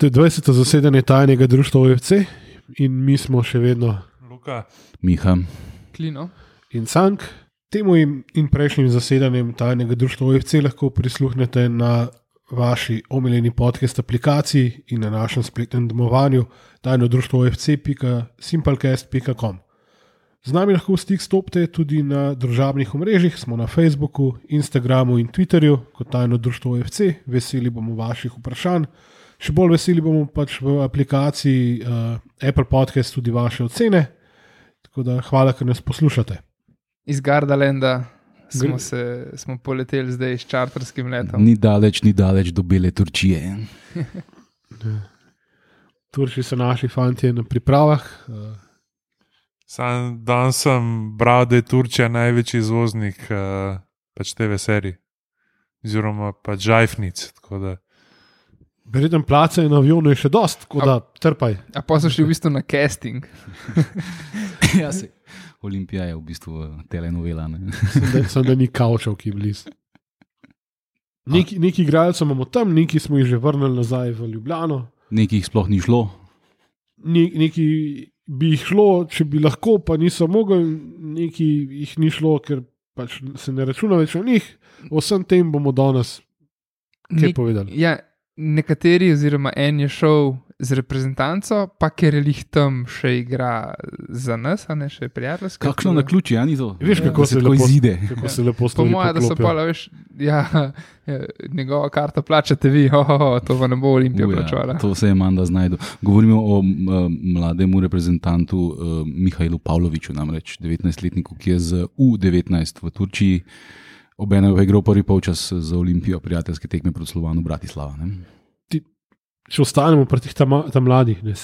To je 20. zasedanje tajnega društva OFC in mi smo še vedno Luka, Miha, Klino. in Cank. Temu in prejšnjim zasedanjem tajnega društva OFC lahko prisluhnete na vaši omiljeni podcast aplikaciji in na našem spletnem domovanju tajnodruštvoofc.simplecast.com. Z nami lahko v stik stopite tudi na družabnih omrežjih, smo na Facebooku, Instagramu in Twitterju kot tajno društvo OFC. Veseli bomo vaših vprašanj. Še bolj veseli bomo pač v aplikaciji Apple Podcast tudi vaše ocene. Tako da hvala, ker nas poslušate. Iz Gardalanda smo poleteli zdaj s čarterskim letom. ni daleč do bele Turčije. Turči so naši fantje na pripravah. danes sem bral, da je Turčija največji izvoznik pač TV serij, oziroma pač žajfnic. Verjetno place na avionu je še dost, tako da trpaj. A pa so šli v bistvu na casting. Ja, se. Olimpija je v bistvu telenovela. Ne? Sem da ni kavčev, ki je blizu. Neki igralcev imamo tam, neki smo jih že vrnili nazaj v Ljubljano. Nekih sploh ni šlo. Neki bi jih šlo, če bi lahko, pa niso mogli, neki jih ni šlo, ker pač se ne računa več o njih. O vsem tem bomo danes kaj povedali. Ja, nekateri, oziroma en je šel z reprezentanco, pa ker je lih tam še igra za nas, a ne še prijateljsko. Kakšno na ključi, ja, ni to? Veš, kako se tako lepo izide. Kako se lepo Po stvari moje, da so poklopijo. pa, veš, njegova karta plačate vi, to pa ne bo Olimpija plačala. To se je Manda znajdu. Govorimo o mlademu reprezentantu Mihajlu Pavloviću, namreč 19-letniku, ki je z U19 v Turčiji obenem igral prvi polčas za Olimpijo prijateljske tekme proti Slovanu Bratislava. Ne? Če ostanemo pri teh tam mladih, ne,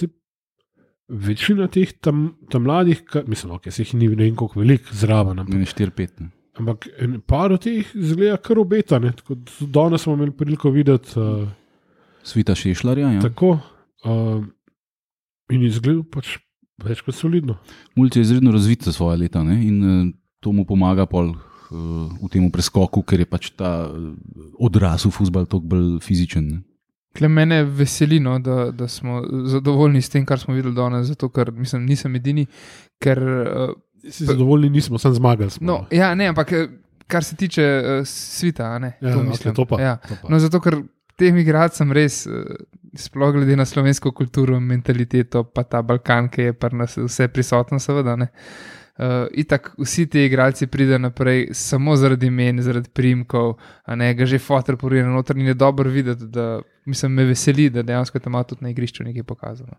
večina teh tam mladih, mislim, okay, se jih ni ne vem koliko veliko zraven, Ne, 4-5. Ne. ampak par od teh izgleda kar obeta. Ne, tako, danes smo imeli priliko videti Svita Šešlarja, ja. tako in izgleda pač več kot solidno. Mulj je izredno razvit za svoje leta, ne? In to mu pomaga pol v tem preskoku, ker je pač ta odrasel fuzbal toliko bolj fizičen. Ne? Kle mene veseli, no, da smo zadovoljni s tem, kar smo videli danes, zato ker mislim, nisem edini, ker Si zadovoljni nismo, sem zmagali smo. no, ja, ne, ampak kar se tiče svita, a ne, Ja, to okay, mislim. to pa, Ja. to pa. No, zato ker tem igralcem res, sploh glede na slovensko kulturo, mentaliteto, pa ta Balkan, ki je pri nas vse prisotno, seveda, ne. Itak vsi ti igralci pridejo naprej samo zaradi imen, zaradi priimkov, a ne, ga že fotor porije na noter in je dobro videti, da mislim, me veseli, da dejansko tam tudi na igrišču nekaj pokazano.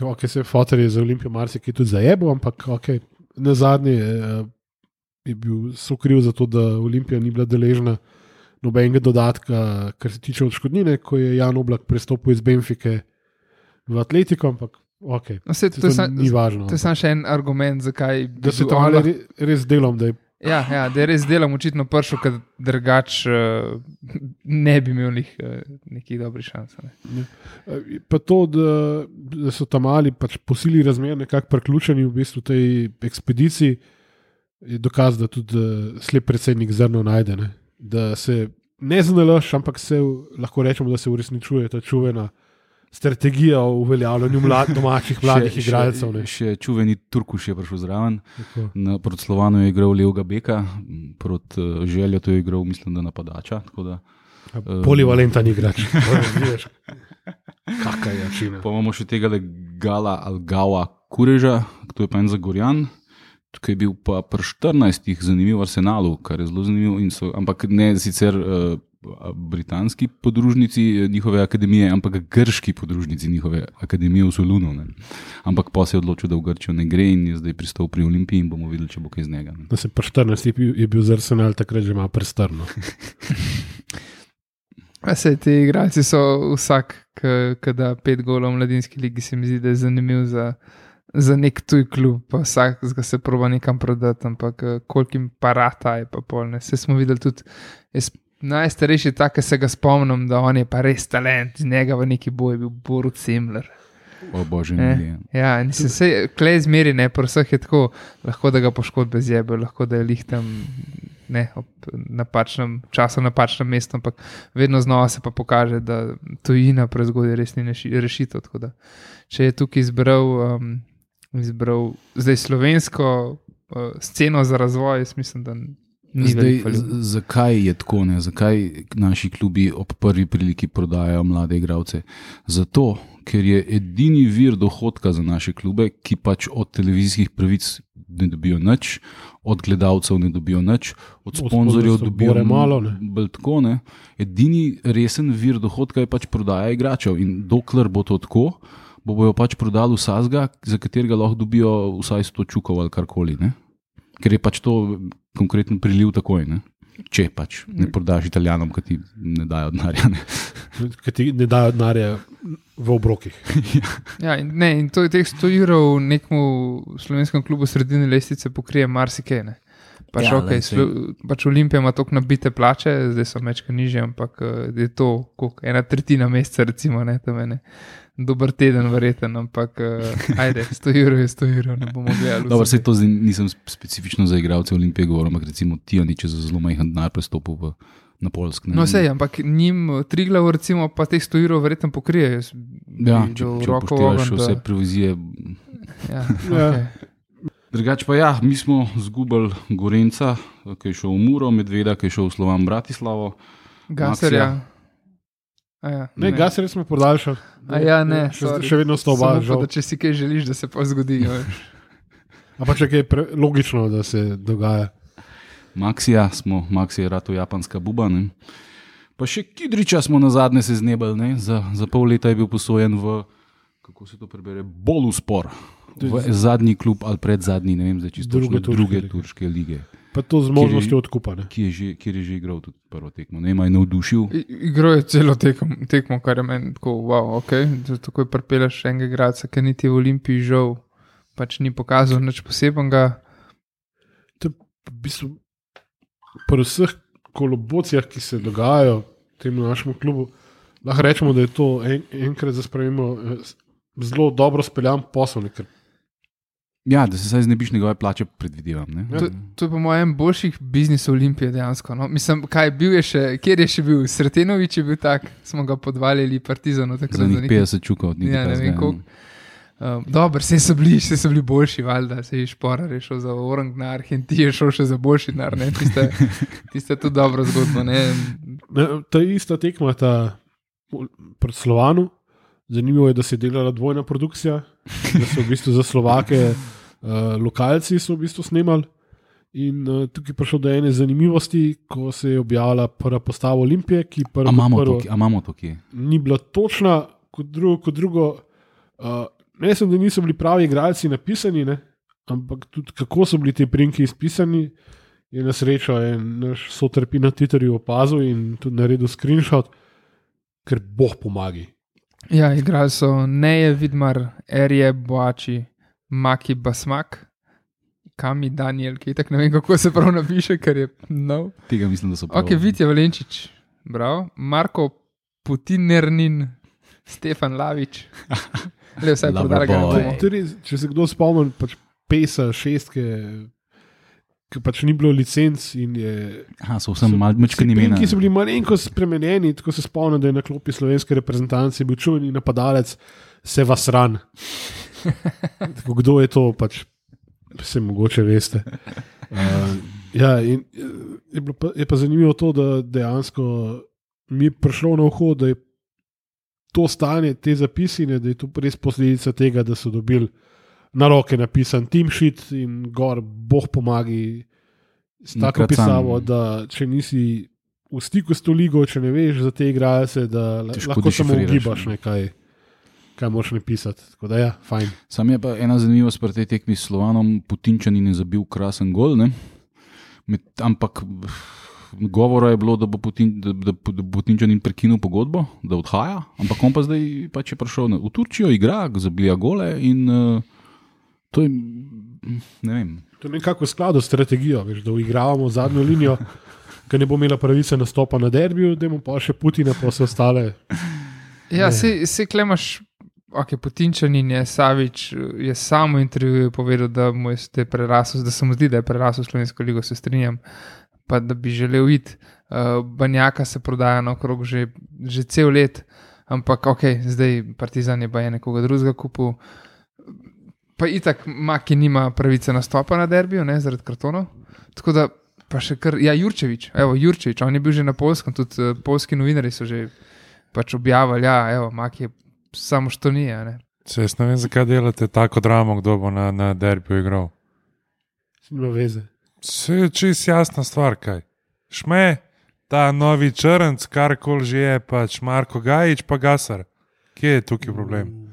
Okay, se fotor je za Olimpijo marsikaj tudi zajebo, ampak okay, na zadnje je bil sokriv za to, da Olimpija ni bila deležna nobenega dodatka, kar se tiče odškodnine, ko je Jan Oblak prestopil iz Benfike v Atletiko, ampak okay, No, saj, to ni važno. To je samo še en argument, zakaj Da se tam res delom, da je Ja, da je res delom očitno prišel, ker drugač ne bi imel nekih dobrih šans. Ne. pa to, da so tam mali pač po sili razmer nekako priključeni v bistvu tej ekspediciji, je dokaz, da tudi slep predsednik zrno najde. Ne. Da se ne znalaš, ampak se lahko rečemo, da se uresničuje ta čuvena strategija o uveljavljanju domačih mladih igralcev. Ne. Še čuveni Turkuš je prišel zraven. Tako. Proti Slovanu je igral levega beka, proti Željo to je igral, mislim, da napadača. Tako da, Polivalentan igrač. Kakaj je čina. pa imamo še tega Gala Algawa Kureža, to je pa en Zagorjan, ki je bil pa pri 14 zanimiv v Arsenalu, kar je zelo zanimivo, ampak ne sicer britanski podružnici njihove akademije, ampak grški podružnici njihove akademije v Solunu. Ne. Ampak pa se je odločil, da v Grčijo ne gre in je zdaj pristal pri Olimpiji in bomo videli, če bo kaj iz njega. Ne. Da se pri 14 je bil za Arsenal takrat že malo prestrno. Sej, ti igralci so vsak, ki da 5 golov v mladinski ligi, se mi zdi, da je zanimiv za nek tuj klub, pa vsak se proba nekam prodati, ampak koliko jim parata je pa polne. Vse smo videli tudi, najstarejši tak, ki se ga spomnim, da on je pa res talent, z njega v neki boj je bil Borut Semler. O bože, ne. Ja, in se klej zmeri, ne, pri vseh je tako, lahko da ga poškodbe zjebe, lahko da je lih tam ne ob napačnem času, napačnem mestu, ampak vedno znova se pa pokaže, da tujina prezgodaj res ni rešitev. Tako da, če je tukaj izbral zdaj slovensko sceno za razvoj, jaz mislim, da ni veliko. Zakaj je tako? Ne? Zakaj naši klubi ob prvi priliki prodajajo mlade igralce? Zato, ker je edini vir dohodka za naše klube, ki pač od televizijskih pravic ne dobijo nič, od gledalcev ne dobijo nič, od sponzorjev dobijo malo. Tako, ne? Edini resen vir dohodka je pač prodaja igračev in dokler bo to tako, bojo pač prodali vsazga, za katerega lahko dobijo vsaj 100 čukov ali karkoli. Ne? Ker je pač to konkreten priliv takoj, ne? Če pač ne prodaš Italijanom, ki ti ne dajo denarja. Ki ti ne dajo denarja v obrokih. Ja, in to je teh 100 evrov nekemu slovenskem klubu sredine lestvice pokrije marsikaj. Pač, Ja, okay, pač Olimpija ima toliko nabite plače, zdaj so mečka nižje, ampak je to koliko, 1/3 meseca, recimo, ne, tam je ne. Dober teden, verjeten, ampak ajde, 100 evrov je 100 evrov, ne bomo gledali. Dobro, sej to zdaj nisem specifično za igralce Olimpije govoril, ampak recimo Tijanič je za zelo majhen denar prestopil na Poljsk. No, sej, ampak njim Triglav, recimo, pa teh 100 evrov verjetno pokrije. Ja, če upoštevaš vse provizije. Ja, okay. Drugač pa ja, mi smo zgubili Gorenca, ki je šel v Muro, Medveda, ki je šel v Slovan Bratislavo. Gaserja. Ne, Gaserja smo podaljšali. Ne, še vedno sta oba. Če si kaj želiš, da se pa zgodi. Ampak če je logično, da se dogaja. Maxija je rato japanska buba. Ne? Pa še Kidriča smo na zadnje se znebali. Ne? Za pol leta je bil posojen v, kako se to prebere, Boluspor. V zadnji klub ali predzadnji, ne vem, zdaj čisto druge turške lige. Pa to z možnostjo odkupa. Kjer je že igral tudi prvo tekmo. Ne, ima je navdušil. Igral je celo tekmo, kar je meni tako, wow, ok. Tako je pripeljaš enega igralca, ki niti v Olimpiji žal pač ni pokazal nič posebenega. To je v bistvu pri vseh kolobocijah, ki se dogajajo temu našemu klubu, lahko rečemo, da je to enkrat za spremembo zelo dobro speljan posel. Ja, da se zdaj znebiš njegove plače, predvidevam. Ne? To je po mojem boljših biznisov Olimpije dejansko. No? Mislim, kjer je še bil? Sretenovič je bil tak, smo ga podvaljali Partizanu. Za njih 50 čukov. Ja, ne vem koliko. Dobro, vse so bili boljši, valjda, se je Šporar je šel za Orang denar, Henti je šel še za boljši denar, tiste tudi dobro zgodbo. Ta ista tekma pred Slovanu, zanimivo je, da se je delala dvojna produkcija, da so v bistvu za Slovake lokalci so v bistvu snemali in tukaj je prišlo do ene zanimivosti, ko se je objavila prva postava Olimpije, ki imamo to kje? Ni bila točna, kot drugo ne sem, da niso bili pravi igralci napisani, ne? Ampak tudi kako so bili te priimki izpisani, je na srečo naš sotrpi na Twitterju opazil in tudi naredil screenshot, ker Bog pomagi. Ja, igrali so Neje Vidmar, Erje Boači, Maki Basmak, Kami Daniel, ki tako ne vem, kako se prav napiše, ker je nov. Tega mislim, da so prav. Ok, Vitja Valenčič, bravo. Marko Putinernin, Stefan Lavič. Le vsaj podarga. Če se kdo spomni, pač Pesa, šestke, ki pač ni bilo licenc in je... so vsem malčkani imena. Ki so bili malenko spremenjeni, tako se spomnim, da je na klopi slovenske reprezentance bil čuveni napadalec Sevasran. Tako, kdo je to, pač se mogoče veste. Ja, in je pa zanimivo to, da dejansko mi je prišlo na uho, da je to stanje, te zapisine, da je to res posledica tega, da so dobili na roke napisan team sheet in gor, Bog pomagi, s tako pisavo, da če nisi v stiku s to ligo, če ne veš za te igralce, da lahko samo ugibaš nekaj, kaj moraš napisati. Tako da ja, fajn. Sam je pa ena zanimivost pri tej tekmi s Slovanom, Putinčanin je zabil krasen gol, ne? Ampak govora je bilo, da bo Putinčanin prekinil pogodbo, da odhaja, ampak on pa zdaj pač je prišel v Turčijo, igra, zabija gole in to je, ne vem. To je nekako v skladu s strategijo, veš, da uigravamo zadnjo linijo, ki ne bo imela pravice nastopa na derbiju, da imamo pa še Putina, pa vse ostale. Ja, se klemaš, ok, Putinčanin je, Savič je samo intervjuju povedal, da mu je prerasel, da se mu zdi, da je prerasel Slovensko ligo, se strinjam. pa da bi želel iti. Banjaka se prodaja naokrog že cel let, ampak ok, zdaj Partizan je pa nekoga drugega kupil. Pa itak Maki nima pravice nastopa na derbiju, ne, zaradi kartonov. Tako da pa še kar, Jurčević, on je bil že na Poljskem, tudi poljski novinari so že pač objavili, Maki je samo što ni, ne. Jaz ne vem, zakaj delate tako dramo, kdo bo na derbiju igral. Nima veze. Se je čist jasna stvar, kaj. Šme, ta novi črnc, karkoli že je, pač Marko Gajić pa Gasar. Kje je tukaj problem?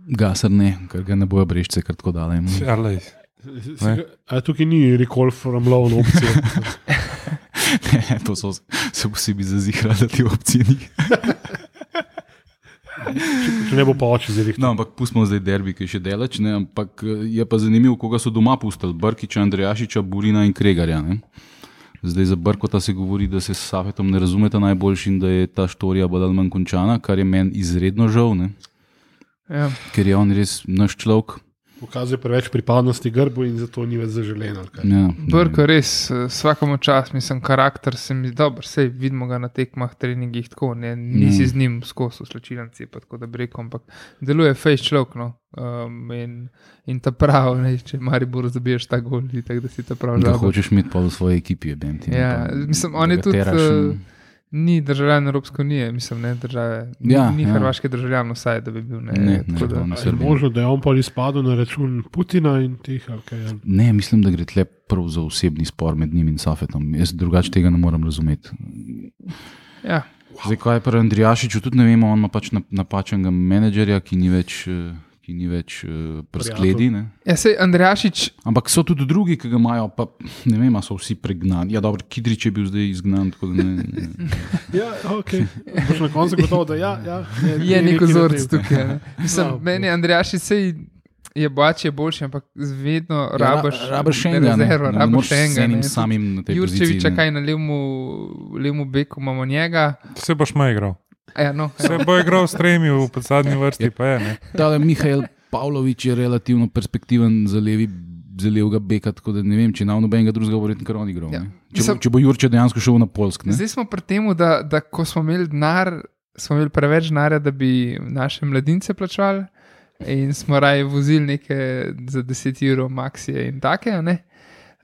Gasar ne, ker ga ne bojo brešče kar tako dale. A tukaj ni recall from loan opcije? Ne, to so se posebej zazihrali, da ti opcije ni. Če ne bo pa oči zirih. No, ampak pustimo zdaj derbi, ki je še delač, ne, ampak je pa zanimivo, koga so doma pustili. Brkiča, Andrejašiča, Burina in Kregarja. Ne. Zdaj za Brkota se govori, da se s Safetom ne razumeta najboljši in da je ta štorija bolj ali manj končana, kar je meni izredno žal, ne. Ja. Ker je on res naš človek. Pokazuje preveč pripadnosti grbu in zato ni več zaželen. Ja, Brko res, vsakomu čas, mislim, karakter se mi dober, sej vidimo ga na tekmah, treningih, tako, ne, nisi z njim skozi slčilnici, pa tako da bi rekel, ampak deluje fejs človek, no, in ta prav, ne, če Maribor zabiješ ta gol, tako da si ta prav da žal. hočeš imeti pa v svoji ekipi, je Ja, mislim, on je tudi, ni državljan Evropske unije, mislim, ne države, ni hrvaški državljan vsaj, da bi bil, ne, tako da. Je možno, da je on pa izpadel na račun Putina in teh, ali kaj je? Ne, mislim, da gre tle prav za osebni spor med njim in Safetom. Jaz drugače tega ne morem razumeti. Ja. Zdaj, kaj je pri Andrijašiču, tudi ne vemo, on ima pač napačnega menedžerja, ki ni več preskledi. Ja, sej Andrijašič. Ampak so tudi drugi, ki ga imajo, pa ne vem, so vsi pregnani. Ja, dobro, Kidrič je bil zdaj izgnan, tako da ne. Ja, ok. Boš na koncu gotovo, da je nek vzorc tukaj. Mislim, meni Andrijašič sej je boljši, ampak vedno rabaš rezervo, rabaš enega. Samim na tej poziciji. Jurčevića, kaj na levemu beku imamo njega. Se boš ma igral. Ja, no, se bo igral s tremi v zadnji vrsti, pa je, ne. Tale Mihajl Pavlović je relativno perspektiven za levega beka, tako da ne vem, če na nobenega drugega bo verjetno kar on igral. Ja. Če bo Jurče dejansko šel na Poljsk. Ne? Zdaj smo pri tem, da ko smo imeli denar, smo imeli preveč denarja, da bi naše mladince plačali in smo raje vozili neke za 10 evrov maksije in take, ne?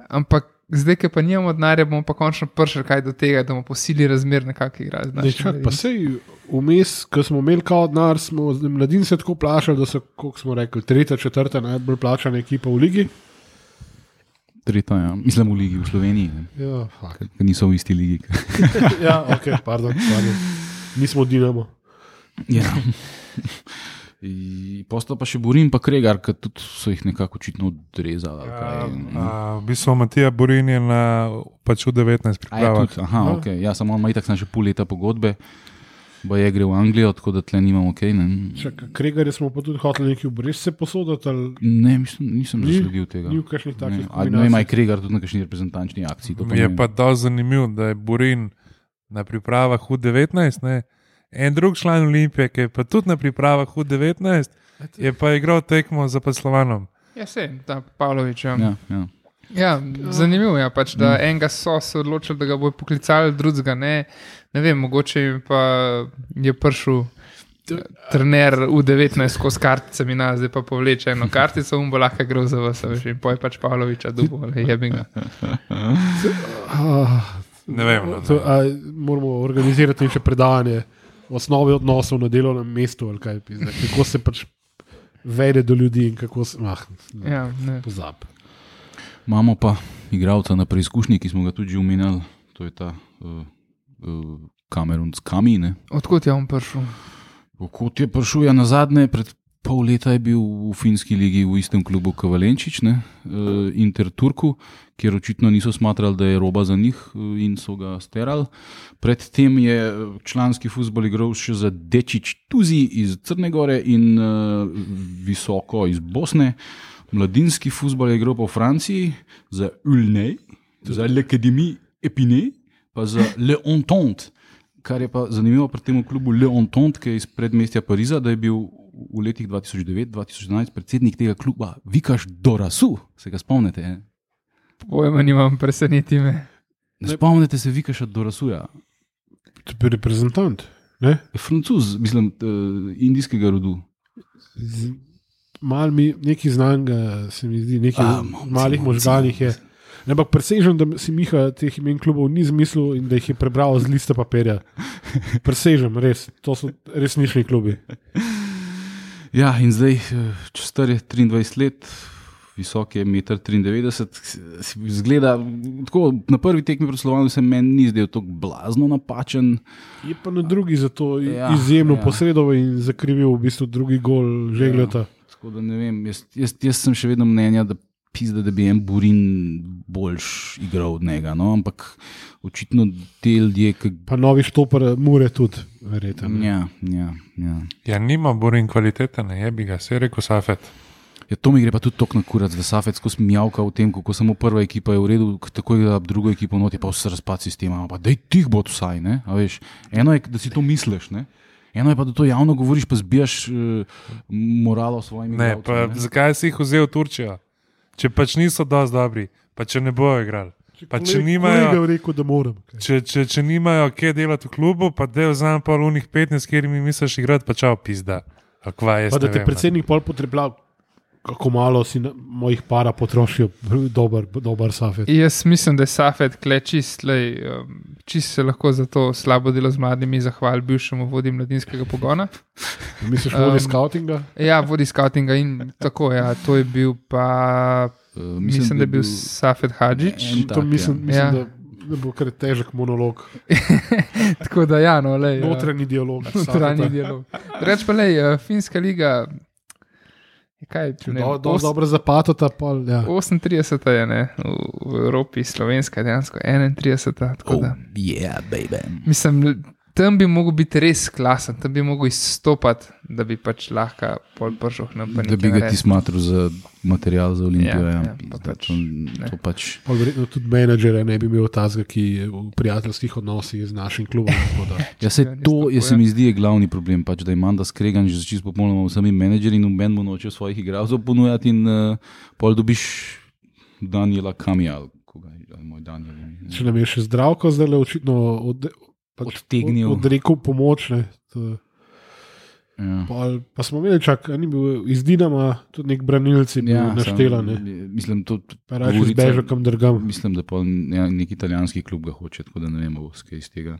Ampak zdaj, ki pa nimamo denarja, bomo pa končno prišli kaj do tega, da bomo posili razmer na kakšen igralec. Pa sej vmes, ko smo imeli kao denar, smo mladince tako plačali, da so, koliko smo rekli, 3., 4. najbolj plačana ekipa v ligi. 3. ja. Mislim v ligi, v Sloveniji. Ja, ker niso v isti ligi. Ja, ok, pardon. Nismo Dinamo. Ja. Postal pa še Burin pa Kregar, ker tudi so jih nekako očitno odrezali. V bistvu Matija Burin je na pač v 19 pripravah. Aha, ok. Ja, samo on ima itak še pol leta pogodbe, bo je gre v Anglijo, tako da tle nimam ok. Kregarje smo pa tudi hoteli nekaj v Brest se posodati? Ali... Ne, nisem zasledil tega. Ni v kakšnih takih kombinacij. Ne vem, aj Kregar tudi na kakšni reprezentančni akciji. Je pa dosti zanimiv, da je Burin na pripravah v 19, ne. En drug član Olimpije, ki je pa tudi na pripravah v 19, je pa igral tekmo za Paslovanom. Ja, sej, ta Pavlović. Ja, zanimivo je pač, da enega so se odločili, da ga bojo poklicali, drugega ne. Ne vem, mogoče pa je prišel trener v 19 skozi karticami na, zdaj pa povleče eno kartico in bo lahko igral za vas, in poj pač Pavlovića dubo, ali jebi ga. Ne vem. Moramo organizirati še predavanje osnovi odnosov na delovnem mestu, ali kaj, kako se pač vede do ljudi in kako se, pozab. Imamo pa igralca na preizkušnji, ki smo ga tudi že omenjali, to je ta Kamerun Skami, ne? Odkot je on prišel? Odkot je prišel, ja, nazadnje, pred pol leta je bil v finski ligi v istem klubu Kavalenčič, ne, Inter Turku, kjer očitno niso smatrali, da je roba za njih in so ga sterali. Predtem je članski fuzbol igral še za Dečič Tuzi iz Crne Gore in Visoko iz Bosne. Mladinski fuzbol je igral pa v Franciji za Ulnej, za l'Académie Épinay, pa za Le Entente, kar je pa zanimivo pri tem klubu Le Entente, ki je iz predmestja Pariza, da je bil v letih 2009-2011 predsednik tega kluba Vikaš Dorasu, se ga spomnite? Pojma nimam, preseneti me. Ne spomnite se Vikaša Dorasuja. To je reprezentant. Ne? Francuz, mislim, indijskega rodu. Mal mi nekaj znanga, se mi zdi, nekaj malih možganih je. Ampak presežem, da si Miha teh imen klubov ni zmislil in da jih je prebral z liste papirja. Presežem, res. To so resnični klubi. Ja, in zdaj, če star je 23 let, visok je 1,93 m, izgleda tako, na prvi tekmi pred Slovenijo se meni ni zdel tako blazno napačen. Je pa na drugi zato izjemno posredoval in zakrivil v bistvu drugi gol Žegljota. Tako da ne vem, jaz sem še vedno mnenja, da pizda, da bi en Burin boljš igral od njega, no? Ampak očitno te ljudje... Pa novi štoper Mure tudi, verjetno. Ja, nima Burin kvalitete, ne jebi ga, se je rekel Safet. Ja, to mi gre pa tudi tok na kurac, da Safet skozi mijavka v tem, kako samo prva ekipa je v redu, tako je, da drugo ekipo noti, pa vse razpad sistema, pa daj tih bo vsaj, ne? A veš, eno je, da si to misliš, ne? Eno je pa, da to javno govoriš, pa zbijaš moralo svojimi igralcem. Ne, pa zakaj si jih vzel v Turčijo? Če pač niso dosti dobri, pa če ne bojo igrali. Pa če nimajo, rekel, da moram, če nimajo kje delati v klubu, pa da vzamem pol unih 15, kjer mi misliš igrati, pa čao pizda. Pa da te predsednik pol potrebljal, kako malo si mojih para potrošil, dober Safet. Jaz mislim, da je Safet čist se lahko za to slabo delo z mladimi zahval bivšemu vodji mladinskega pogona. Misliš vodi skautinga? Ja, vodi skautinga in tako, ja, to je bil pa, mislim, da je bil Safet Hadžić. Mislim, da bo kar težek monolog. Tako da ja, no, lej. Notranji dialog. Reč pa lej, finska liga, kaj, dobro zapato ta pol, ja. 38 je, ne, v Evropi, slovenska dejansko 31. Tako da. Yeah, baby. Mislim, tam bi mogel biti res klasen, tam bi mogel izstopati, da bi pač lahko pol pržoh nam pa nekaj naredil. Da bi ga ti smatril za material za Olimpijo. To pač. Pa verjetno tudi menedžere ne bi imel tazga, ki je v prijateljskih odnosih z našim klubom. Ja, se mi zdi je glavni problem, pač, da je Manda skregan že čisto popolnoma vsemi menedžeri in noben mu noče svojih igralcev ponujati in pol dobiš Daniela Kamija. Moj Daniel. Če nam je še Zdravko zdaj očitno odrekel pomoč. Ja. Pa smo imeli ni bil iz Dinama, tudi nek branilci naštela. Mislim, Mislim, da pa nek italijanski klub ga hoče, tako da ne vemo, skaj iz tega.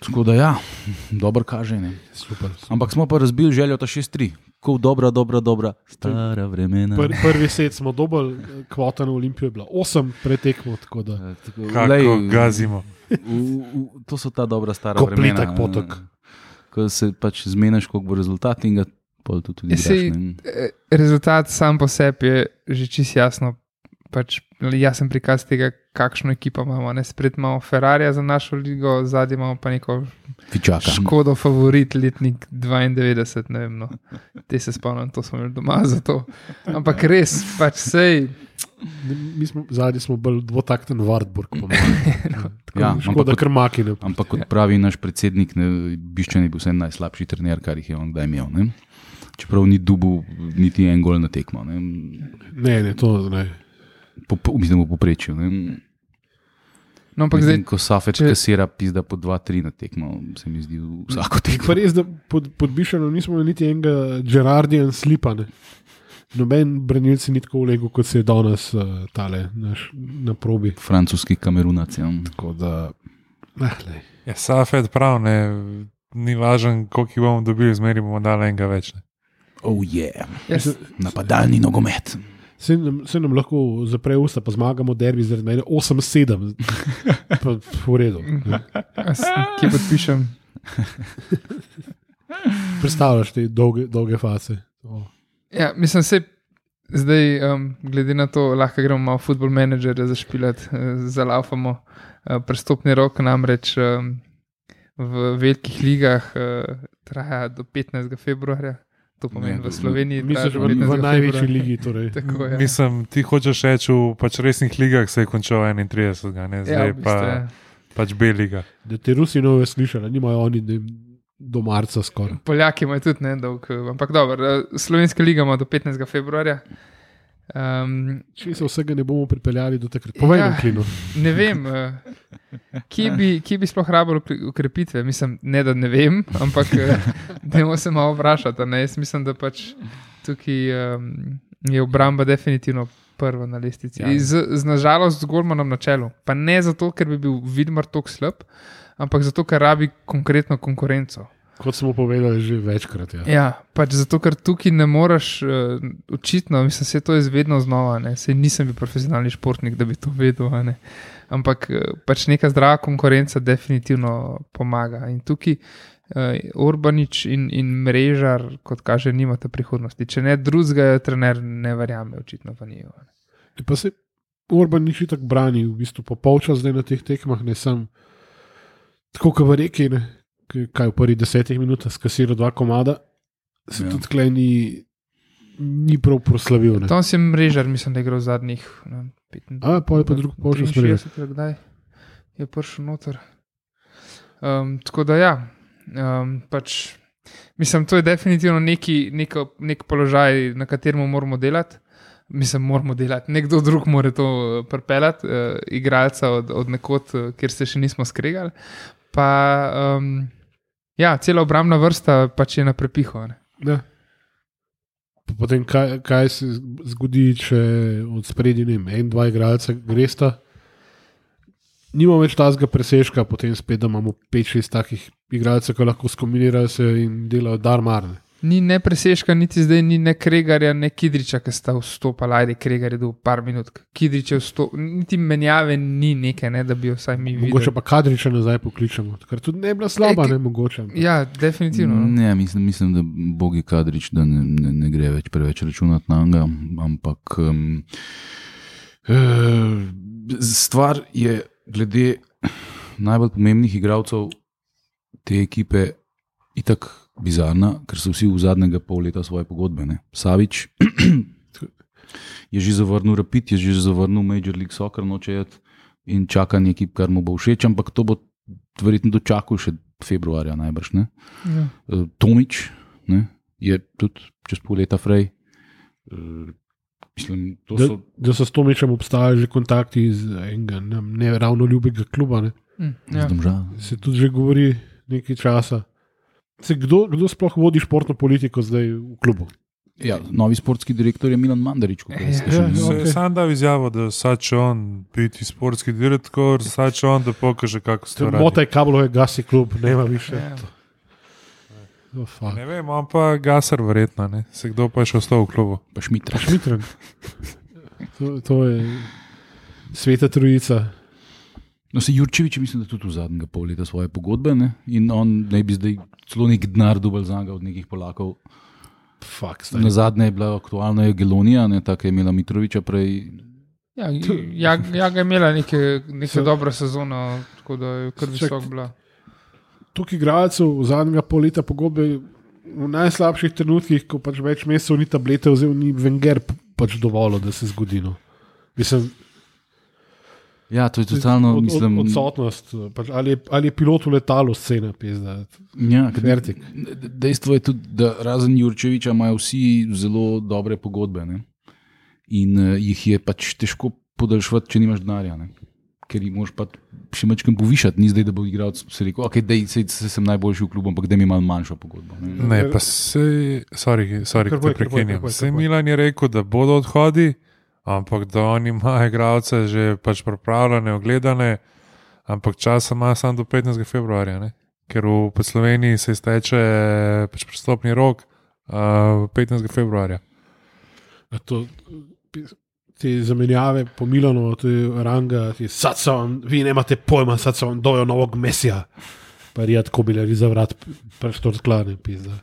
Tako da ja, dobro kaže. Ne. Super. Ampak smo pa razbili željo ta 6-3. Ko dobra, stara vremena. Prvi set smo dobili, kvota na Olimpijo je bila 8 pretekmo. Kako gazimo. To so ta dobra stara vremena. Kompletak potok. Ko se pač zmeniš, koliko bo rezultat in ga pol tudi igraš. Rezultat sam po sebi je že čisto jasno. Pač jasen prikaz tega, kakšno ekipo imamo. Spred imamo Ferrarija za našo ligo, zadnji imamo pa neko Škodo favorit letnik 92, ne vem, no. Te se spomnim, to smo imeli doma za to. Ampak res, pač sej. Zadnji smo bolj dvotakten Wartburg, po mojem. Škoda krmakine. Ampak kot pravi naš predsednik, Biščan je bil vse najslabši trener, kar jih je on kdaj imel. Ne? Čeprav ni dubil niti en gol na tekmo. Ne, to ne. Mislim, v poprečju. No, mislim, ko Safet kasira pizda po 2-3 na tekmo, se mi zdi vsako tekmo. Pa res, da pod Bišanom nismo niti enega Gerardian slipa. Noben branilci ni tako vlegel, kot se je danes tale na probi. Francoski Kamerunac. Tako da... Ja, Safet prav, ne, ni važen, koliko bomo dobili, zmeri bomo dali enega več. Ne. Oh yeah, napadalni nogomet. Se nam lahko zapre usta, pa zmagamo derbi zaradi mene 8-7. Pa v redu. Kje podpišem? Predstavljaš te dolge fase. Ja, mislim se, zdaj glede na to, lahko gremo malo Football Managerja zašpilati, zalaufamo prestopni rok, namreč v velikih ligah traja do 15. februarja. To pomeni v Sloveniji. Misliš, v največji ligi. Torej. Tako, ja. Mislim, ti hočeš reči, v pač resnih ligah se je končal 31. Ne? Zdaj pač B liga. Da te Rusi nove slišali, nimajo oni do marca skoraj. Poljaki imajo tudi ne dolg, ampak dobro. Slovenska liga ima do 15. februarja. Če se vsega ne bomo pripeljali do takrat, povej nam, Klino. Ne vem, kje bi sploh rabilo ukrepitve. Mislim, ne da ne vem, ampak dajmo se malo vprašati. Jaz mislim, da pač tukaj je obramba definitivno prva na lestvici. Z nažalost z Golmanom na čelu. Pa ne zato, ker bi bil Vidmar tako slab, ampak zato, ker rabi konkretno konkurenco. Kot smo povedali že večkrat. Ja, pač zato, ker tukaj ne moreš očitno, mislim, se to je vedno znova, sej nisem bil profesionalni športnik, da bi to vedel, ampak pač neka zdrava konkurenca definitivno pomaga. In tukaj Orbanič in Mrežar, kot kaže, nimata prihodnosti. Če ne drugega, trener ne verjame, očitno pa ni. Pa se Orbanič tako brani, v bistvu po polčas zdaj na teh tekmah, ne sem tako, kot v reki, ne. Kaj v prvih 10 minutah skasiral 2 komada, se tudi tleh ni prav proslavil. Tam si Mrežar, mislim, da je igral zadnjih 15. Pa je pa drug polčas Mrežar. Kdaj je prišel noter. Tako da ja, pač mislim, to je definitivno nek položaj, na katerem moramo delati. Mislim, moramo delati. Nekdo drug mora to pripeljati, igralca od nekod, kjer se še nismo skregali. Pa ja, cela obrambna vrsta pač je na prepihu. Ja. Potem kaj se zgodi, če od spredi 1-2 igralca gresta, nimamo več tazga presežka, potem spet, da imamo 5-6 takih igralcev, ki lahko skombinirajo se in delajo darmarne. Ni ne presežka, niti zdaj ni ne Kregarja, ne Kidriča, ki sta vstopala. Ajde, Kregar je bil par minut. Kidrič je vstopil, niti menjave ni neke, da bi jo vsaj mi videli. Mogoče pa Kadriča nazaj pokličemo, ker tudi ne je bila slaba, ne mogoče. Ja, definitivno. Ne, mislim, da Bogi Kadrič, da ne gre več preveč računati na njega, ampak stvar je glede najbolj pomembnih igralcev te ekipe itak bizarna, ker so vsi v zadnjega pol leta svoje pogodbe. Savič je že zavrnil Rapid, je že zavrnil Major League Soccer, noče jet in čaka nekaj, kar mu bo všeč, ampak to bo verjetno dočakal še februarja najbrž. Ne? Ja. Tomič je tudi čez pol leta frej. Mislim, da so s Tomičem obstajali že kontakti iz enega ne ravno ljubega kluba. Ja. Se tudi že govori nekaj časa. Kdo sploh vodi športno politiko zdaj v klubu? Ja, novi sportski direktor je Milan Mandarič. Sam dal izjavo, da sače on biti sportski direktor, sače on, da pokaže, kako se to radi. Motaj kablove gasi klub, nema više. Ne vem, on pa Gasar verjetno, ne? Se kdo pa je še ostal v klubu? Pa Šmitren. To je sveta trojica. No, se Jurčevič, mislim, da tudi v zadnjega pol leta svoje pogodbe, ne? In on ne bi zdaj celo nek denar dobil za njega od nekih Polakov. Na zadnje je bila aktualna Gelonija, tako je imela Mitroviča prej. Ja, ga je imela neke dobro sezono, tako da je kar visok bila. Tukaj igralcev v zadnjega pol leta pogodbe v najslabših trenutkih, ko pač več mesecev ni tablete vzel, ni Wenger pač dovolil, da se zgodi. Mislim, ja, to je totalno, mislim... Odsotnost, pač, ali je pilot v letalu scena, pizda. Ja, dejstvo je tudi, da razen Jurčeviča imajo vsi zelo dobre pogodbe, ne? In jih je pač težko podaljšvati, če nimaš denarja, ne? Ker jih moraš pa še mečkam povišati, ni zdaj, da bo igral, se rekel, ok, sem najboljši v klubu, ampak da mi malo manjšo pogodbo. Ne, pa se, sorry, te prekinjam. Se Milan je rekel, da bodo odhodi, ampak da oni imajo igralce že pač pripravljene, ogledane, ampak časa ima samo do 15. februarja, ne? Ker v Sloveniji se izteče pač prestopni rok 15. februarja. Te zamenjave po Milanu, te Ranga, vi nemate pojma, sad so vam dojo novog Mesija. Pa rijad kobileri za vrat, preštor sklane, pizda.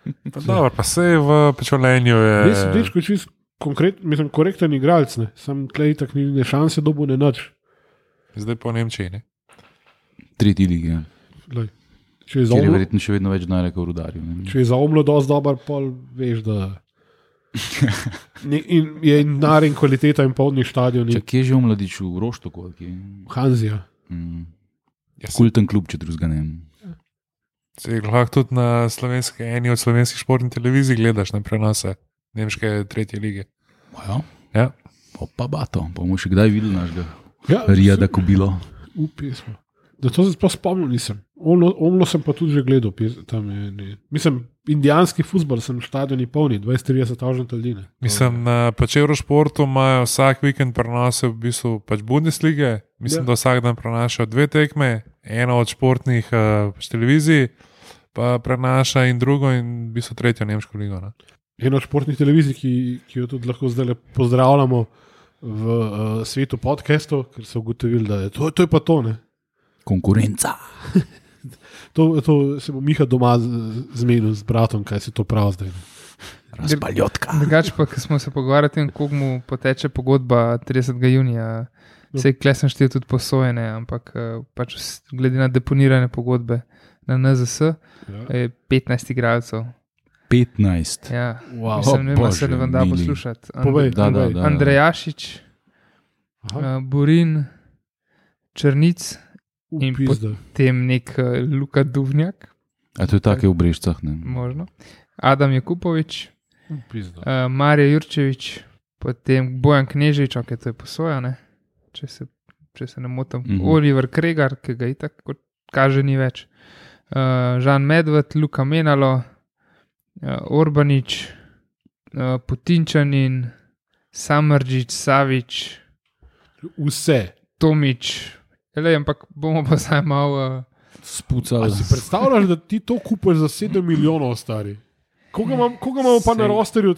Pa dobro, pa se v Pečolenju je... Mislim, dečko je čist korekten igralec, ne. Sam tlej tak ni šanse dobu ne nač. Zdaj po Nemčiji, ne? 3. ligi, ja. Ker je verjetno še vedno več denarja kot v Rudarju. Če je za Omlo dosti dober, pol veš, da... in je denar in kvaliteta in polni stadion. Kje je že Omladič v Roštoku? Hanzija. Kulten klub, če drugega ne. Se lahko tudi na eni od slovenskih športnih televizij gledaš na prenose nemške 3. lige. Ja. Ja. Opa, bato, bomo še kdaj videli našega Ja, Rijada Kobilo. Pesmo. Da to se sploh spomnim nisem. Omlo sem pa tudi že gledal. Tam mislim, indijanski futbol sem v stadioni polni, 20-30 ljudi. Mislim, na Eurošportu imajo vsak vikend prenose v bistvu pač Bundeslige. Mislim, da vsak dan prenašajo 2 tekme, eno od športnih televizij, pa prenaša in drugo in v bistvu 3. nemško ligo. Ne? Eno od športnih televizij, ki jo tudi lahko zdaj pozdravljamo v svetu podcastov, ker so ugotovili, da je to je pa to. Ne? Konkurenca. To se bo Miha doma zmenil z bratom, kaj se to pravi zdaj. Razpaljotka. Drugače pa, ko smo se pogovarjali o tem, koliko mu poteče pogodba 30. junija, vse kle sem štel tudi posojene, ampak pač glede na deponirane pogodbe na NZS je 15 igralcev. 15. Ja, Wow. mislim, ne vem, se ne vam da poslušati. Povej. Da. Andrejašič, Burin, Črnic in Pizda. potem nek Luka Duvnjak, A to je take v Brežicah, ne? možno. Adam Jakupovič, Pizda. Marija Jurčevič, potem Bojan Kneževič, ok, to je posoja, ne? Če se ne motim. Oliver Kregar, ki ga itak kot kaže ni več. Žan Medved, Luka Menalo, Orbanič, Putinčanin, Samardžič, Savič, Vse. Tomič. Ampak bomo pa zdaj malo... Spucali. Si predstavljaš, da ti to kupiš za 7 milijonov, stari? Koga imamo pa na rosterju?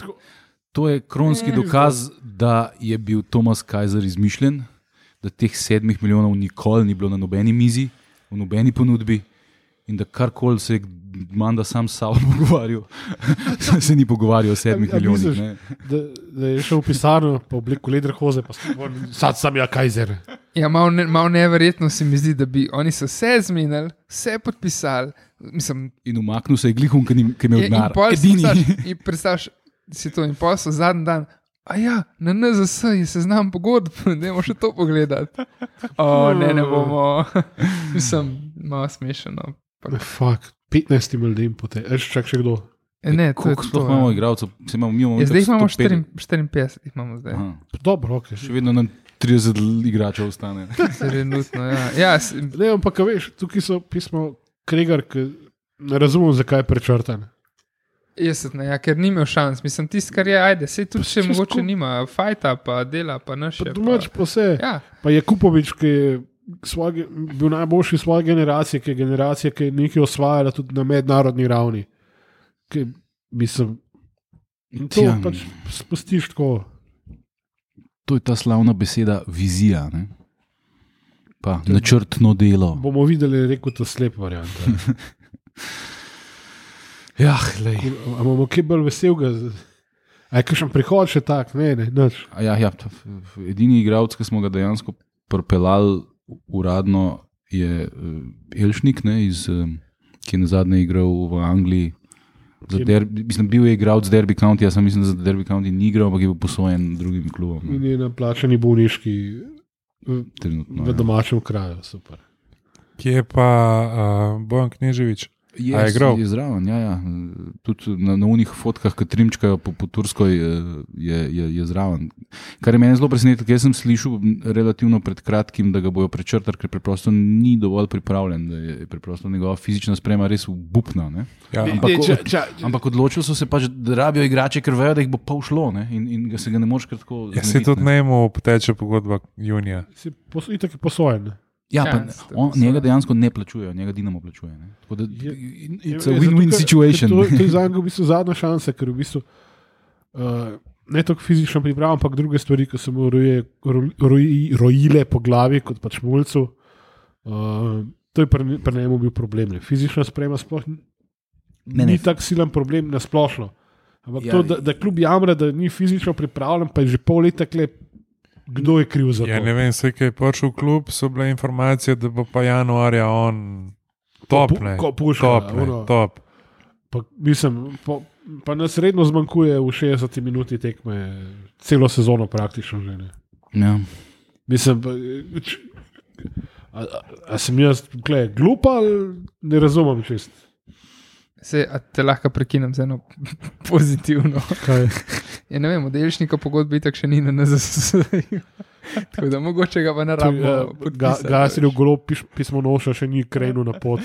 To je kronski dokaz, da je bil Thomas Kaiser izmišljen, da teh 7 milijonov nikoli ni bilo na nobeni mizi, v nobeni ponudbi in da karkoli se je Manda sam s sabo pogovarjal, se ni pogovarjal o 7 milijonih. Misliš, da je šel v pisarno, pa v obliku ledrhoze, pa sad sam ja Kaiser. Ja, malo neverjetno se mi zdi, da bi oni so vse zmenili, vse podpisali. Mislim, In umaknil se je glihom, ki je imel denar. Edini. In predstavljaš si to in posel zadnji dan. A ja, na NZS je seznam pogodb, dajmo še to pogledati. Ne bomo. Mislim, malo smešeno. Fuck. 15 ljudem potem, čak še kdo. Ne, to je Koliko to. sploh imamo igralcev? Zdaj imamo 54, jih imamo zdaj. Dobro, ok. Še vedno nam 30 igračev ostane. Trenutno, ja. Ne, ampak veš, tukaj so pismo Kregar, ki ne razumem, zakaj je prečrtan. Ja, ker ni imel šans. Mislim, tisto, kar je, ajde, sej tudi še mogoče nima, fajta, pa dela, pa naše. Pa domač pa vse. Ja. Pa Jakupovič, ki je bil najboljši svoje generacije, ki je nekaj osvajala tudi na mednarodni ravni. Mislim, to pač spustiš tako. To je ta slavna beseda vizija, ne? Pa načrtno delo. Bomo videli, rekel to slep variant. Ja, glej. Imamo kaj bolj veselega. A je kakšen prihod še tak? Ne, nič. Ja, edini igralec, ki smo ga dejansko propeljali uradno, je Elšnik, ne, ki je nazadnje igral v Angliji. Mislim, bil je igralec Derby County, jaz mislim, da za Derby County ni igral, ampak je bil posojen drugim klubom. In je na plačani bolniški v domačem kraju, super. Kje je pa Bojan Kneževič? Je zraven, ja. Tudi na unih fotkah, ki trimčkajo po Turskoj, je zraven. Kar je meni zelo presenetilo, ker sem slišal relativno pred kratkim, da ga bojo prečrtali, ker preprosto ni dovolj pripravljen, da je preprosto njegova fizična sprema res obupna. Ja. Ampak odločili so se pač, da rabijo igrače, ker vejo, da jih bo pa ušlo, ne? In se ga ne moreš kar tako... Ja, se tudi njemu poteče pogodba junija. Itak je posojen. Ja, njega dejansko ne plačujejo, njega Dinamo plačuje. Ne? Tako da it's a win-win situation. To je za njega v bistvu zadnja šansa, ker v bistvu ne toliko fizično priprava, ampak druge stvari, ki so mu rojile po glavi, kot pač mulcu. To je pri njemu bil problem. Ne? Fizična sprema sploh ni tak silen problem nasplošno. Ampak to, da klub jamra, da ni fizično pripravljen, pa je že pol leta klep. Kdo je kriv za to? Ja, ne vem, vse, ki je prišel v klub, so bile informacije, da bo pa januarja on top. Pa, mislim, pa nas redno zmanjkuje v 60 minuti tekme, celo sezono praktično že. Ne. Ja. Mislim, a sem jaz glupa ali ne razumem čist? Te lahko prekinem z eno pozitivno. Kaj? Ja, ne vem, Delšnika pogodbe itak še ni na NZS. Tako da mogoče ga pa ne rabimo podpisati. Gasili v golo pismo noša, še ni krenil na pot.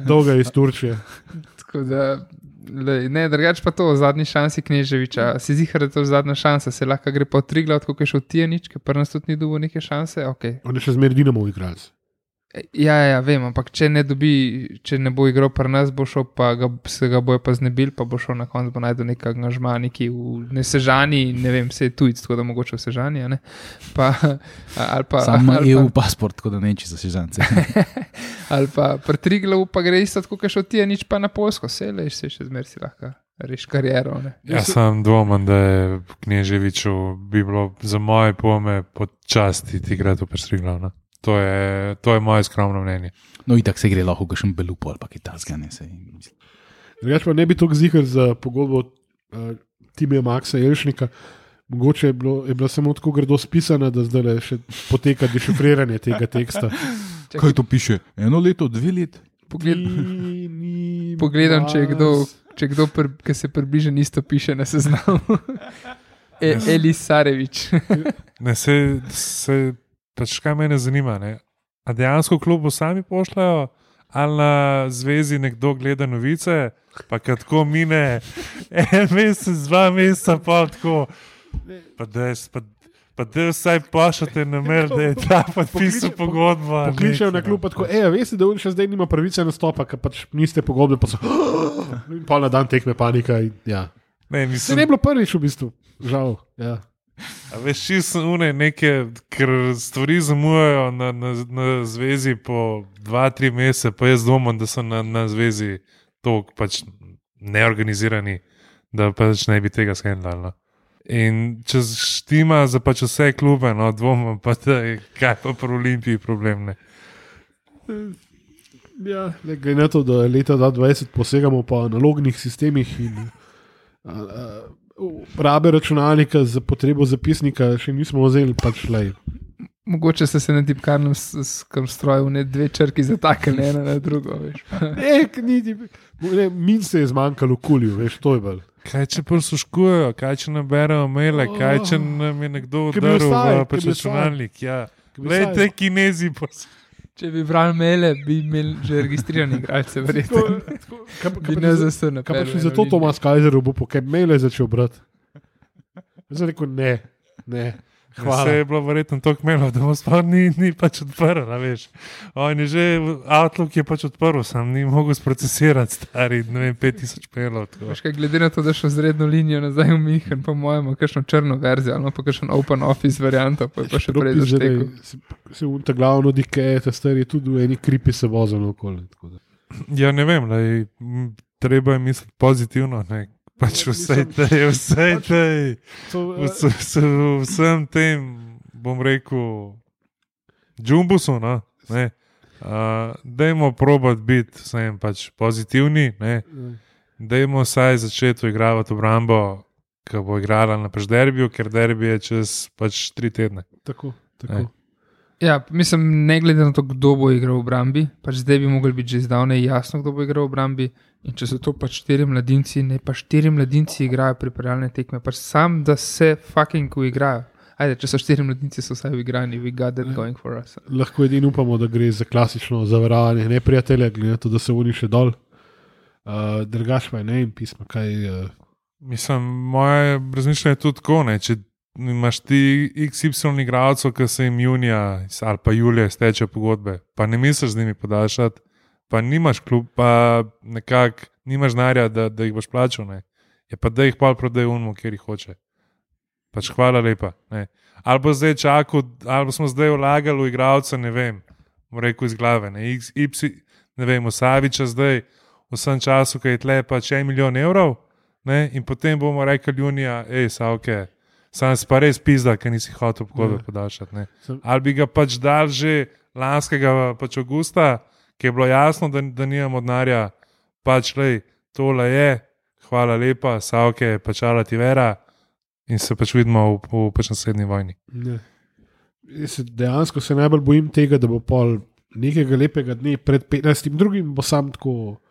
Dolga je iz Turčije. Tako da, ne, drugače pa to, zadnji šansi Kneževiča. Si zihar, da je to zadnja šansa, se lahko gre po Triglav, tako je šel Tijanič, ker pa nas tudi ni dobil neke šanse, ok. On je še zmer Dinamo igralec. Ja, vem, ampak če ne bo igral pri nas, bo šel pa se ga bojo pa znebil, pa bo šel na koncu, bo najdel nek angažma, neki v Sežani, ne vem, vse je tujc, tako da mogoče v Sežani, ne? Samo EU pasport, tako da neči za Sežance. Ali pa pri Triglavu pa gre isto, tako kot šel Tijanič pa na Poljsko, se še zmer si lahko reš kariero, ne? Jaz sem dvomen, da je Kneževiču bi bilo za moje pome počasti igrati v Triglav, ne? To je moje skromno mnenje. No, itak se gre lahko kakšen belupo ali pa kitajska, ne se. Drugač pa ne bi toliko zihar za pogodbo Timija Maxa Jelšnika. Mogoče je bilo samo tako grdo spisano, da zdaj še poteka dešifriranje tega teksta. Kaj to piše? 1 leto, 2 let? Pogledam, če je kdo, ki se približa, isto piše na seznamu. Elis Sarevič. Ne, se pač kaj mene zanima, ne? A dejansko klubu sami pošljajo, ali na zvezi nekdo gleda novice, pa kad tako mine 1 mesec, 2 meseca, pa tako, pa da vsaj pošljate na mail, da je ta podpisal pogodbo. Pokličejo na klub, pa tako, veste, da on še zdaj nima pravice nastopa, ker pač niste pogodbe, pa so in pol na dan tekme panika. Ja. Se ne bilo prvič v bistvu, žal, ja. A veš, čisto nekaj, ker stvari zamujajo na zvezi po 2-3 mesece, pa jaz dvomim, da so na zvezi toliko pač neorganizirani, da pač ne bi tega skendali. No. In če štima za pač vse klube, no, dvomim pa, da je kaj pa pri Olimpiji problem, ne. Ja, glede na to, da leta 2020 posegamo po analognih sistemih in rabe računalnika za potrebo zapisnika še nismo vzeli, pač lej. Mogoče se na tipkarnem stroju ne 2 črki zatakali ena na drugo, veš. Min se je zmanjkalo v kulju, veš, to je bolj. Kaj če prisluškujejo, kaj če naberajo maile, kaj če nam je nekdo udaril v računalnik, ja. Lej, te Kinezi Če bi brali maile, bi imeli že registrirane igralce, verjetno. Bi ne zastal naprej. Kaj pa še zato Tomas Kajzer bo kaj maile začel brati? Jaz sem rekel, ne. Hvala. Vse je bilo verjetno toliko mailov, da bo sploh ni pač odprl, veš. On je že, Outlook je pač odprl, sam ni mogel sprocesirati stari, ne vem, 5000 mailov. Veš kaj, glede na to, da šel z redno linijo nazaj v Minhen, po mojem, kakšno črno verzijo, ali pa kakšen open office varianto, pa je pa še prej zaštekel. Se unta glavno dikeje, ta stari tudi v eni kripi se vozano okoli. Ja, ne vem, treba je misliti pozitivno, ne. Pač vsej vsem tem, bom rekel, džumbusu, no, ne, dajmo probati biti vsem pač pozitivni, ne, dajmo vsaj začeti igravati obrambo, ki bo igrala na pač derbiju, ker derbi je čez pač 3 tedne. Tako. Ja, mislim, ne glede na to, kdo bo igral v obrambi, pač zdaj bi mogli biti že zdavnej jasno, kdo bo igral v obrambi. In če so to pač 4 mladinci, ne pa 4 mladinci igrajo pripravljalne tekme, pač sam, da se fucking igrajo. Ajde, če so 4 mladinci, so vsaj igrani, we got that going for us. Lahko edino upamo, da gre za klasično zavarovanje neprijatelja, glede na to, da se oni še dol. Drugač pa je ne in pisma, kaj... Mislim, moje razmišljanje je tudi tako, ne, če imaš ti XY igralcev, ki se jim junija ali pa julija steče pogodbe, pa ne misliš z njimi podaljšati, pa nimaš klub, pa nekako nimaš denarja, da jih boš plačal, ne. Je pa da jih pol prodaj unmu, kjer jih hoče. Pač hvala lepa. Ne. Ali bo zdaj čakal, ali smo zdaj vlagali v igralca, ne vem, rekel iz glave, ne, ne vem, v Saviča zdaj, v vsem času, ki je tle pač 1 milijon evrov, ne, in potem bomo rekli junija, Savke, sam si pa res pizda, ker nisi hotel pogodbe podaljšati, ne. Ali bi ga pač dal že lanskega pač avgusta, ki je bilo jasno, da nimamo denarja, pač lej, tole je, hvala lepa, Savke, pačala ti vera in se pač vidimo v pač naslednji vojni. Ne. Dejansko se najbolj bojim tega, da bo pol nekega lepega dne pred 15. drugim bo sam tako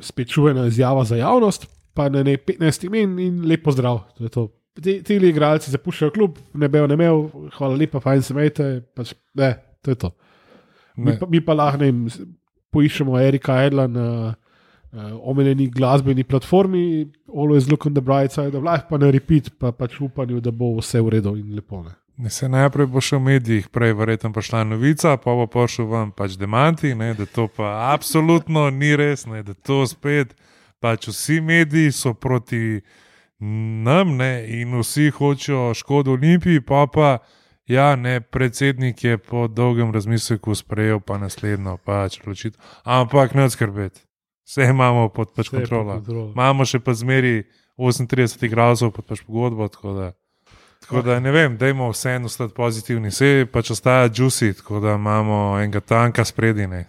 spet čuvena izjava za javnost, pa na 15 imen in lepo zdrav. To je to. Ti igralci zapuščajo klub, ne bejo, ne imel, hvala lepa, fajn se imejte, pač, ne, to je to. Mi pa lahko poiščemo Erika Edla na omenjeni glasbeni platformi, always look on the bright side of life, pa na repeat, pa pač upanju, da bo vse v redu in lepo. Ne, se najprej bo še v medijih, prej verjetno prišla novica, pa bo prišel vam pač demanti, ne, da to pa absolutno ni res, ne, da to spet, pač vsi mediji so proti nam, ne, in vsi hočejo škodo Olimpiji, pa ja, ne, predsednik je po dolgem razmisleku sprejel pa naslednjo pač odločitev. Ampak ne skrbeti, vse imamo pod pač kontrolo. Imamo še pa zmeri 38 igralcev pod pač pogodbo, tako da ne vem, dajmo vseeno ostati pozitivni. Vse pač ostaja juicy, tako da imamo enega tanka spredi, ne.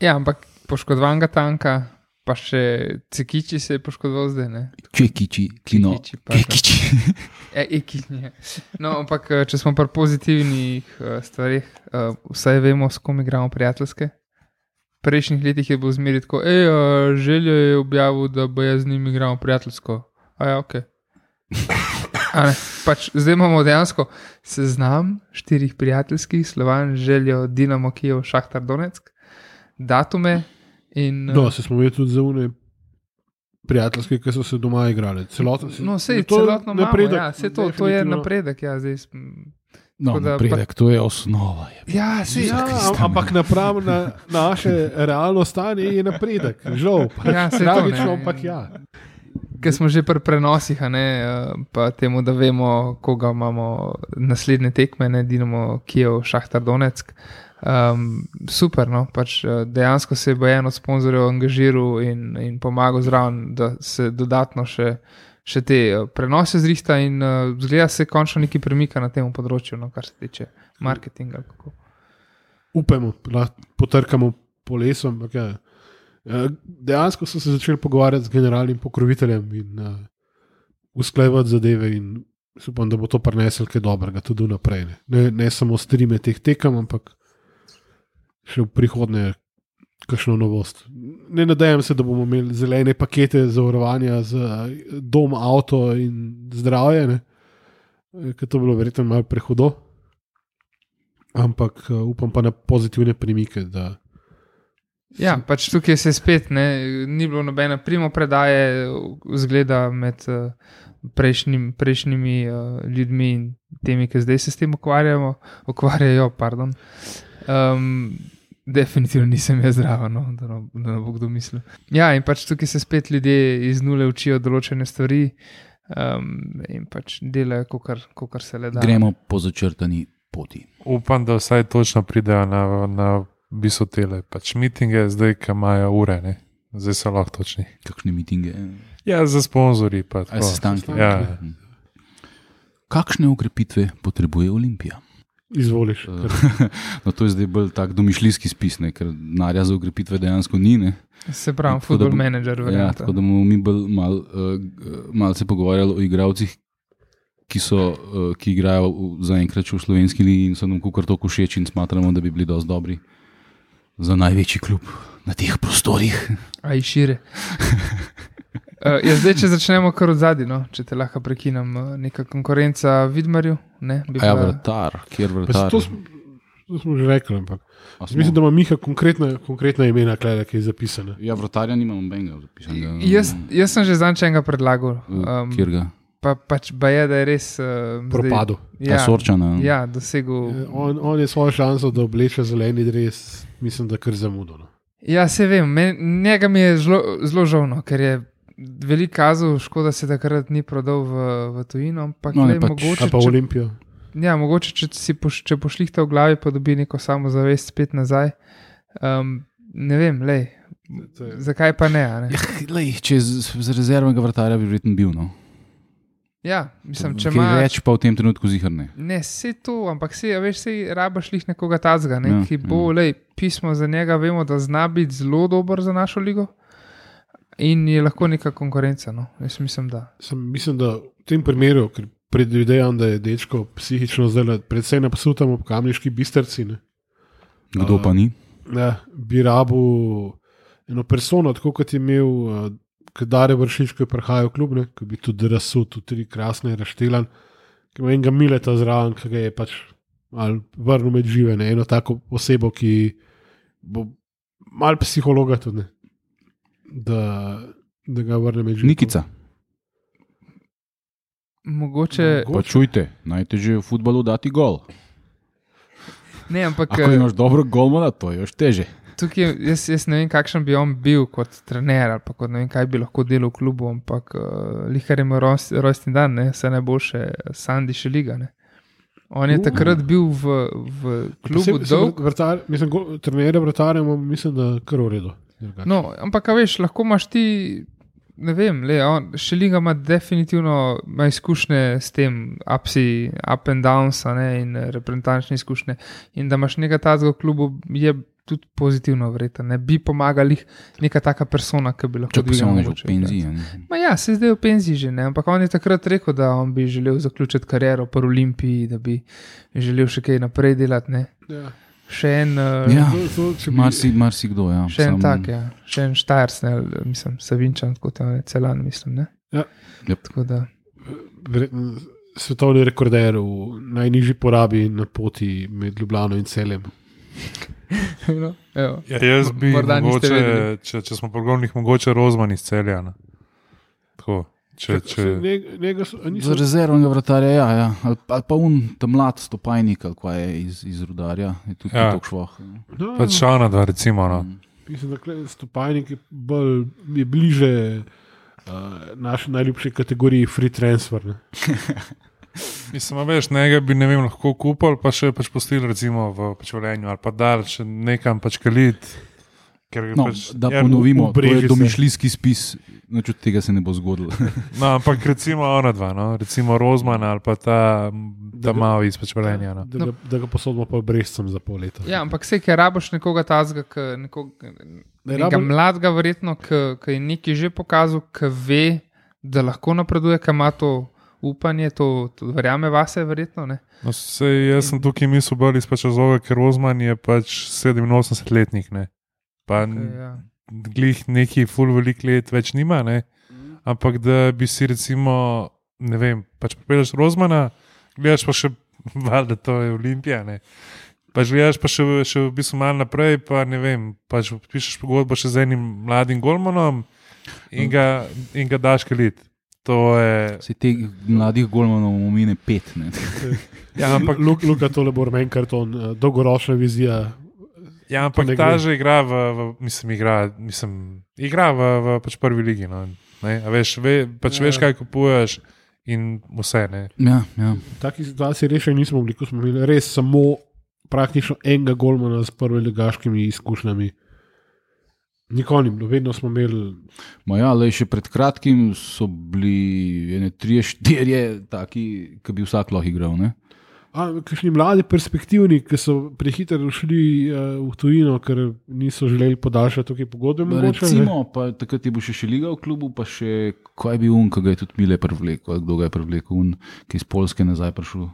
Ja, ampak poškodovanega tanka, pa še Cekiči se je poškodoval zdaj, ne? Čekiči, Klino, Kekiči. Ekiči. No, ampak če smo pri pozitivnih stvarih, vsaj vemo, s kom igramo prijateljske. V prejšnjih letih je bilo zmeri tako, Željo je objavil, da bo jaz z njim igramo prijateljsko. Ja, okej. Pač zdaj imamo dejansko seznam 4 prijateljskih, Slovan, Željo, Dinamo Kijev, Šahtar Donetsk, datume. Se smo imeli tudi za une prijateljske, ki so se doma igrali. Celotno napredek. Ja, to je napredek. Ja, zdaj napredek, to je osnova. Ampak napram na naše realno stanje je napredek. Žal, tragično, ampak ja. Ker smo že pri prenosih, pa temu, da vemo, koga imamo naslednje tekme, Dinamo Kijev, Šahtar Donetsk. Super, no, pač dejansko se je en od sponzorjev angažiral in pomagal zraven, da se dodatno še te prenose zrihta in zgleda se končno nekaj premika na tem področju, no, kar se tiče marketinga. Kako. Upajmo, potrkamo po lesu, ampak ja. Dejansko so se začeli pogovarjati z generalnim pokroviteljem in usklajevati zadeve in upam, da bo to prinesel kaj dobrega tudi naprej. Ne samo strime teh tekem, ampak še v prihodnje kakšno novost. Ne nadejam se, da bomo imeli zelene pakete zavarovanja za dom, avto in zdravje, ker to bilo verjetno malo prehudo. Ampak upam pa na pozitivne premike. Ja, pač tukaj se spet ni bilo nobene primopredaje vzgleda med prejšnjimi ljudmi in temi, ki zdaj se s tem ukvarjajo. Definitivno nisem jaz zdrava, no, da ne bo kdo mislil. Ja, in pač tukaj se spet ljudje iz nule učijo določene stvari in pač delajo, kakor se le da. Gremo po začrtani poti. Upam, da vsaj točno pridejo na bisotele. Pač mitinge zdaj, ki imajo ure, ne? Zdaj so lahko točni. Kakšne mitinge? Ja, za sponzorji. Sestanki. Ja. Kakšne ukrepitve potrebuje Olimpija? Izvoliš. No, to je zdaj bolj tak domišljijski spis, ker narja za ukrepitve dejansko ni. Ne? Se pravi, football manager. Ja, tako da bomo mi bolj malo se pogovarjali o igralcih, ki igrajo zaenkrat v slovenski ligi in so nam kukar toliko všeč in smatramo, da bi bili dosti dobri za največji klub na teh prostorih. Aj šire. Zdaj, če začnemo kar od zadaj, no? Če te lahko prekinem, neka konkurenca Vidmarju. Vratar, kjer vratar? To smo že rekli, ampak mislim, da ima Miha konkretna imena, ki je zapisana. Ja, vratarja nimam benga zapisanega. Jaz sem že zanj enega predlagal. Kjer ga? Pač je, da je res propadel. Sorčana. Ja, dosegel. On je svojo šanso, da obleče zeleni dres, mislim, da kar zamudil. No. Ja, se vem, njega mi je zelo žalno, ker je veliko kazal, škoda se takrat ni prodal v tujino, ampak mogoče. Pa v Olimpijo. Ja, mogoče, če pošlihta v glavi, pa dobi neko samozavest spet nazaj. Ne vem, zakaj pa ne? Če z rezervnega vratarja bi verjetno bil, no. Ja, mislim, če ima več, pa v tem trenutku zihar ne. Ne, vse to, ampak rabaš lih nekoga tazga, ki bo, pismo za njega, vemo, da zna biti zelo dober za našo ligo in je lahko neka konkurenca, no. Jaz mislim, da. Mislim, da v tem primeru, ker predvidejam, da je dečko psihično zdaj predvsej napsutam ob Kamniški Bistrci, ne. Kdo pa ni? Ja, bi rabil eno persono, tako kot je imel Dare Vršič, ko je prihajal v klub, ki bi tudi razsul, tudi 3 krasne razštelan, ki ima enega Mileta zraven, ki ga je pač vrnil med žive, ne? Eno tako osebo, ki bo mal psihologa tudi, ne? Da ga vrne med žive. Nikica. Mogoče. Pa čujte, najtežje v futbalu dati gol. Ne, ampak. Ako imaš dobro golmana, to je još teže. Tukaj jaz ne vem, kakšen bi on bil kot trener ali pa kot ne vem, kaj bi lahko delal v klubu, ampak Lihar ima rojstni dan, ne, vse najboljše, Sandi Šeliga, ne. On je takrat bil v klubu dolg. Trenerja vratarja mislim, da kar v redu. No, ampak veš, lahko imaš ti, ne vem, Šeliga ima definitivno izkušnje s tem, up and downs, ne, in reprezentančne izkušnje. In da imaš nekaj tazga v klubu, je tudi pozitivno vreten. Ne bi pomagali neka taka persona, ki bi lahko dvigal. Če pa se on že v penziji. Ja, se zdaj v penziji že, ne, ampak on je takrat rekel, da on bi želel zaključiti kariero po Olimpiji, da bi želel še kaj naprej delati, ne. Ja. Še en... marsikdo, ja. Še en tak, ja. Še en Štajers, ne, mislim, Savinčan, kot je Celan, mislim, ne. Ja. Tako da... Svetovni rekorder v najnižji porabi na poti med Ljubljano in Celjem. No, ja, jaz bi mogoče, če smo pogovornih, mogoče Rozman iz Celja. Tako. Za rezervnega vratarja, ja. Ali pa ta mlad Stopajnik, ali kaj je iz Rudarja, je tudi tako švoh. Pač Šanadva, recimo. No. Mislim, da Stopajnik je bliže naši najljubši kategoriji free transfer. Ne? Mislim, veš, njega bi, ne vem, lahko kupili, pa še pač postili recimo v Velenju, ali pa dal še nekam pač kalit. No, da ponovimo, to je domišljijski spis, noč od tega se ne bo zgodilo. No, ampak recimo ona dva, no? Recimo Rozman ali pa ta malo iz Velenja. No? Da ga posodimo pa Brezcem za pol leta. Ja, ampak vse, ker raboš nekoga tazga, nekega mladega verjetno, ki je nekaj že pokazal, ki ve, da lahko napreduje, ki ima to upanje, to verjame vase verjetno, ne? No, jaz sem tukaj mislil bolj iz Čazova, ker Rozman je pač 87-letnik, ne? Pa glih neki ful velik let več nima, ne? Ampak da bi si recimo, ne vem, pač popeljaš Rozmana, gledaš pa še, valjda to je Olimpija, ne? Pač gledaš pa še v bistvu malo naprej, pa ne vem, pač pišeš pogodbo še z enim mladim golmanom in ga daš kalit. To je... Se teh mladih golmanov omine 5, ne? Ja, ampak Luka tole bo meni karton, dolgoročna vizija. Ja, ampak ta že igra igra v pač prvi ligi, no, ne? A veš, veš, kaj kupuješ in vse, ne? Ja. V takih situaciji rešaj nismo bili, ko smo imeli res samo praktično enega golmana s prve ligaškimi izkušnjami. Nikoli ni bilo, vedno smo imeli... Še pred kratkim so bili 3-4 taki, ki bi vsak lahko igral, ne? Kakšni mladi perspektivni, ki so prehitro šli v tujino, ker niso želeli podaljšati tukaj pogodbe. Recimo, pa takrat je bil še Šeliga v klubu, pa še kaj bi ki ga je tudi Mile prevlekel, kdo ga je prevlekel, ki je iz Poljske nazaj prišel.